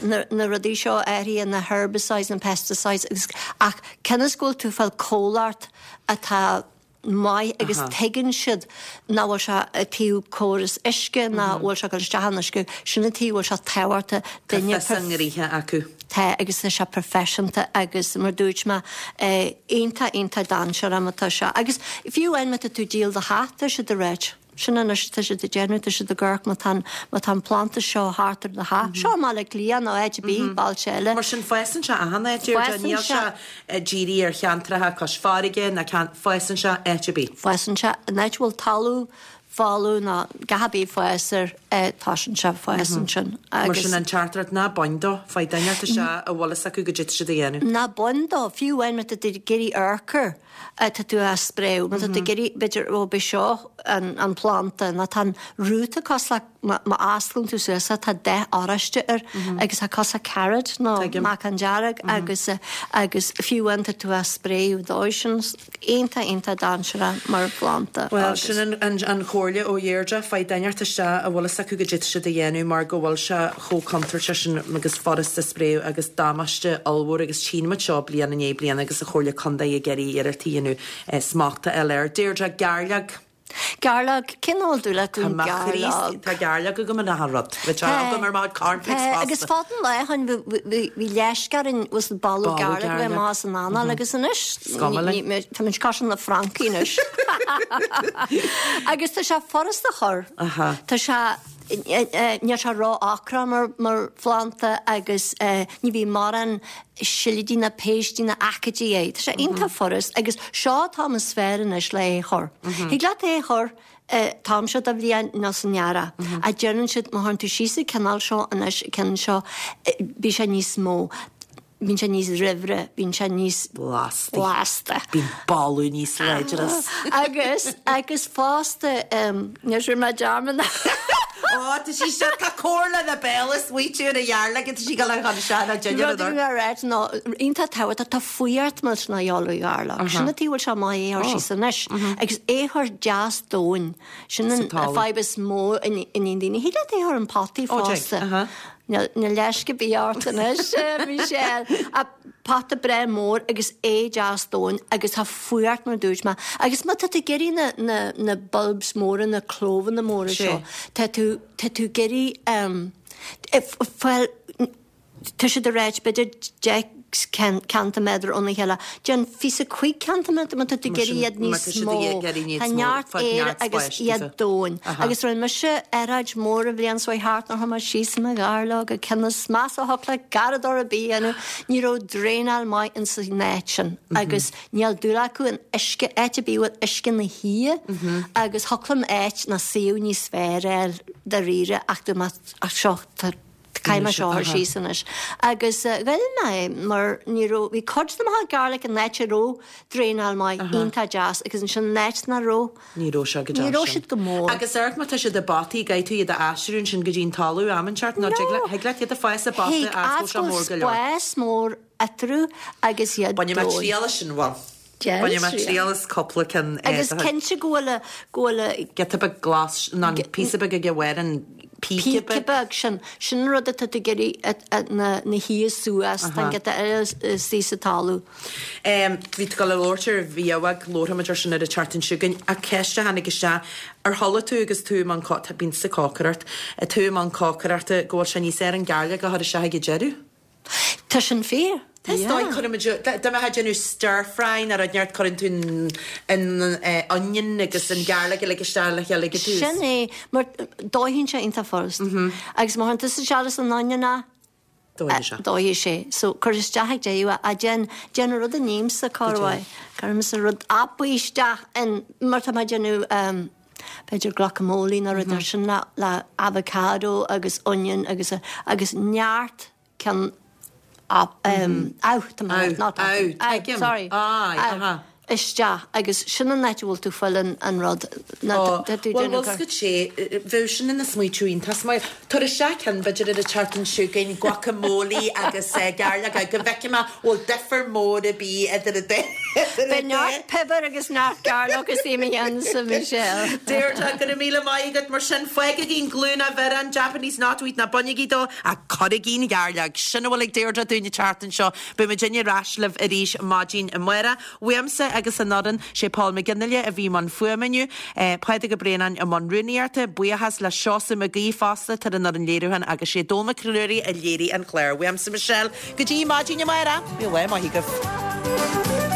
na rudaí seo áirithe, na herbicides, na pesticides agus ach cionn is go bhfuil tú ag fáil comhlacht atá maith agus tuigeann siad nach bhfuil sé ag taobh córas uisce, nach bhfuil sé ag dul isteach in uisce, sin an taobh a bhfuil sé tábhachtach Tá fios a ngnoithe acu. Tá agus tá sé proifisiúnta agus mar dúirt mé iontach iontach dainséarach má tá sé agus fiú amháin má tá tú ag díol do theach tá siad ag ráit sin anois tá siad ag déanamh tá siad ag amharc má tá an má tá an planda seo thart ar do theach seo i mBaile Átha Cliath nó áit ar bith bailte eile. Mar sin fásann sé achan áit Deirdre níl sé dírithe ar cheantracha cois farraige ná fásann sé áit ar bith. Fásann sé in áit a bhfuil talamh folamh nó gach ar bith fás air tosaíonn sé ag fás ansin Mar sin an teachtaireacht ná bain dó, faigh duine inteacht isteach a bhfuil fhios acu goidé tá siad a dhéanamh. Ná bain dó, fiú amháin má tá tú ag iarraidh urchar tá tú á spréadh, má tá tú ag iarraidh b'fhéidir ó b'é seo an planda nó tá an rúta cosúil le má osclaíonn tú suas é tá dath oráiste air agus tá cosúil le carrot nó meacan dearg agus agus fiú amháin tá tú á spréadh dó sin. iontach iontach dainséarach mar phlanda Bhuel, agus. sin an chomhairle. comhairle ó Dheirdre, faigh duine inteacht isteach a bhfuil fhios acu goidé tá siad a dhéanamh mar go bhfuil sé chomh contúirteach sin agus furasta spréadh agus damáiste ollmhór agus tchíonn muid seo bliain i ndiaidh bliana agus an Chomhairle Contae ag iarraidh iarracht a dhéanamh smacht a fháil air. Deirdre, gairleog. Gairleog, cén fáth dúil acu an gairleog? Tá gairleog agam in achan rud. Bhí sé agam ar mo cornflakes fosta. Agus fad an lae shoin bhí leisce orainn was boladh gairleog a bheith amach as an anáil agus anois tá muid cosúil le francaigh anois. Agus tá sé furast a chur. Tá sé níl sé ró-ocrach mar phlanda agus ní bhíonn mórán silidí ná péistí ná aicídí air. Tá sé iontach furast agus seo an t-am is fearr anois le é a chur. Thig leat é a chur an t-am seo de bhliain nó san earrach. Ach deireann siad má chuireann tú síos an cineál seo anois, an ceann seo, bíonn sé níos mó. Bíonn sé níos raimhre, bíonn sé níos. Blasta. Blasta. Bíonn boladh níos láidre as. Agus, agus fosta, níor chuir mé dearmad. Ó, tá sí seo, tá comhairle na béal is smaoitiú ar an ghearrlaig, tá sí ag dul chun seo ná dinnéar Rud a bhí mé a ráit ná, iontach tábhachtach, tá fuireacht millteanach a dhíobháil ar ghairleog. Sin an tuige a bhfuil sé maith é a chur síos anois. Agus é a chur deas domhain. Sin an fadhb is mó a níonn daoine. Thig leat é a chur in potaí fosta. Níl leisce ar bith ort anois, Michelle. Ach pota breá mór agus é deas domhain agus tá fuireacht mar a dúirt mé. Agus má tá tú ag iarraidh na, na, na bulbs móra, na clóbhanna móra seo, tá tú, tá tú ag iarraidh ehm, fáil, tá siad ag ráit b'fhéidir 10 ceintiméadar óna chéile. Déan phíosa 5 ceintiméadar má tá tú ag iarraidh iad níos mó. Tá neart aeir agus iad domhain. Agus rinne mise earráid mór an bhliain seo thart nuair a chuir mé síos mo ghairleog ag cionn is measa a thiocfadh le garradóir ar bith a dhéanamh. Ní raibh draenáil maith ins an áit sin agus níl dúil acu in uisce, áit ar bith a bhfuil uisce ina shuí agus thiocfadh liom áit nó suíomh níos fearr a fháil dáiríre ach dúirt mé ach seo tá Caithfidh mé seo a chur síos anois. Agus ghoill mé é mar ní raibh, bhí cuid de mo chuid gairleog in áit a raibh draenáil maith, iontach deas agus ansin in áit nach raibh, Ní raibh sé go deas ní raibh siad go mór. Agus amharc má tá siad i bpotaí, caithfidh tú iad a aistriú ansin go dtí an talamh am inteacht nó dtig leat, thig leat iad a fás i bpota Thig, as go bhfuil sé mór go leor. spás mór eatarthu agus iad Bainfidh mé triail as sin, bhuel. Bainfidh mé triail as cúpla ceann. Agus cinnte go bhfuil a, go bhfuil a. Giota beag glas, nó an píosa beag ag a bharr, an píce beag. Píce beag, sin, sin an rud atá tú ag iarraidh na, na shuí suas, tá an giota eile istigh sa talamh. Bhí tú ag dul a labhairt ar bhiabhag, labharfaimid ar sin ar an tseachtain seo chugainn, ach ceist a tháinig isteach, ar chuala tú agus tú i mbun, bíonn sa cócaireacht, tú i mbun cócaireachta, go bhfuil sé níos fearr an gairleog a chur isteach ag an deireadh? Tá sin fíor. Tá is dóigh, cuirimid, dá mbeifeá ag déanamh stir fry nó rud inteacht cuireann tú an onion agus an garlic uilig isteach le chéile ag an tús. Sin é, mar dóigheann sé iontach furast. Agus má chuireann tusa isteach leis an onion é, Dóigheann sé. dóigheann sé. So cuir isteach ag deireadh é, ach déan, déan an rud a nímse, corruair. Cuirimse rud tapaidh isteach in, mar tá mé ag déanamh, b'fhéidir guacamole nó rud mar sin le le avocado agus onion agus agus neart ceann amh tá mé not amh sorry amh isteach agus sin an áit a bhfuil tú fáil an an rud ná tá tú Bhuel bhfuil scut sé bheadh sin ina smaoitiú iontach maith. Tabhair isteach ceann b'fhéidir ar an tseachtain seo chugainn guacamole agus gairleog go bhfeicfidh mé bhfuil difear mór ar bith idir an dá. Beidh neart piobar agus neart gairleog istigh i mo cheannsa, Michelle. Deirdre, go raibh míle maith agat. Mar sin, fágaigí an glúine bhioráin, Japanese knotweed, ná bainigí dó, ach cuirigí an ghairleog. Sin a bhfuil ag Deirdre dúinn an tseachtain seo. Beidh muidinne ar ais libh arís maidin amárach. Uaimse agus an fhoireann, sé Paul McGinley a bhí i mbun fuaime inniu, Pádraig Ó Braonáin i mbun rúnaíochta, buíochas le Seosamh Mac Aoidh fosta, atá ar an fhoireann léiriúcháin agus sé Dónall Mac Ruairí a léirigh an clár. Uaimse Michelle, go dtí maidin amárach, bíodh lá maith agaibh.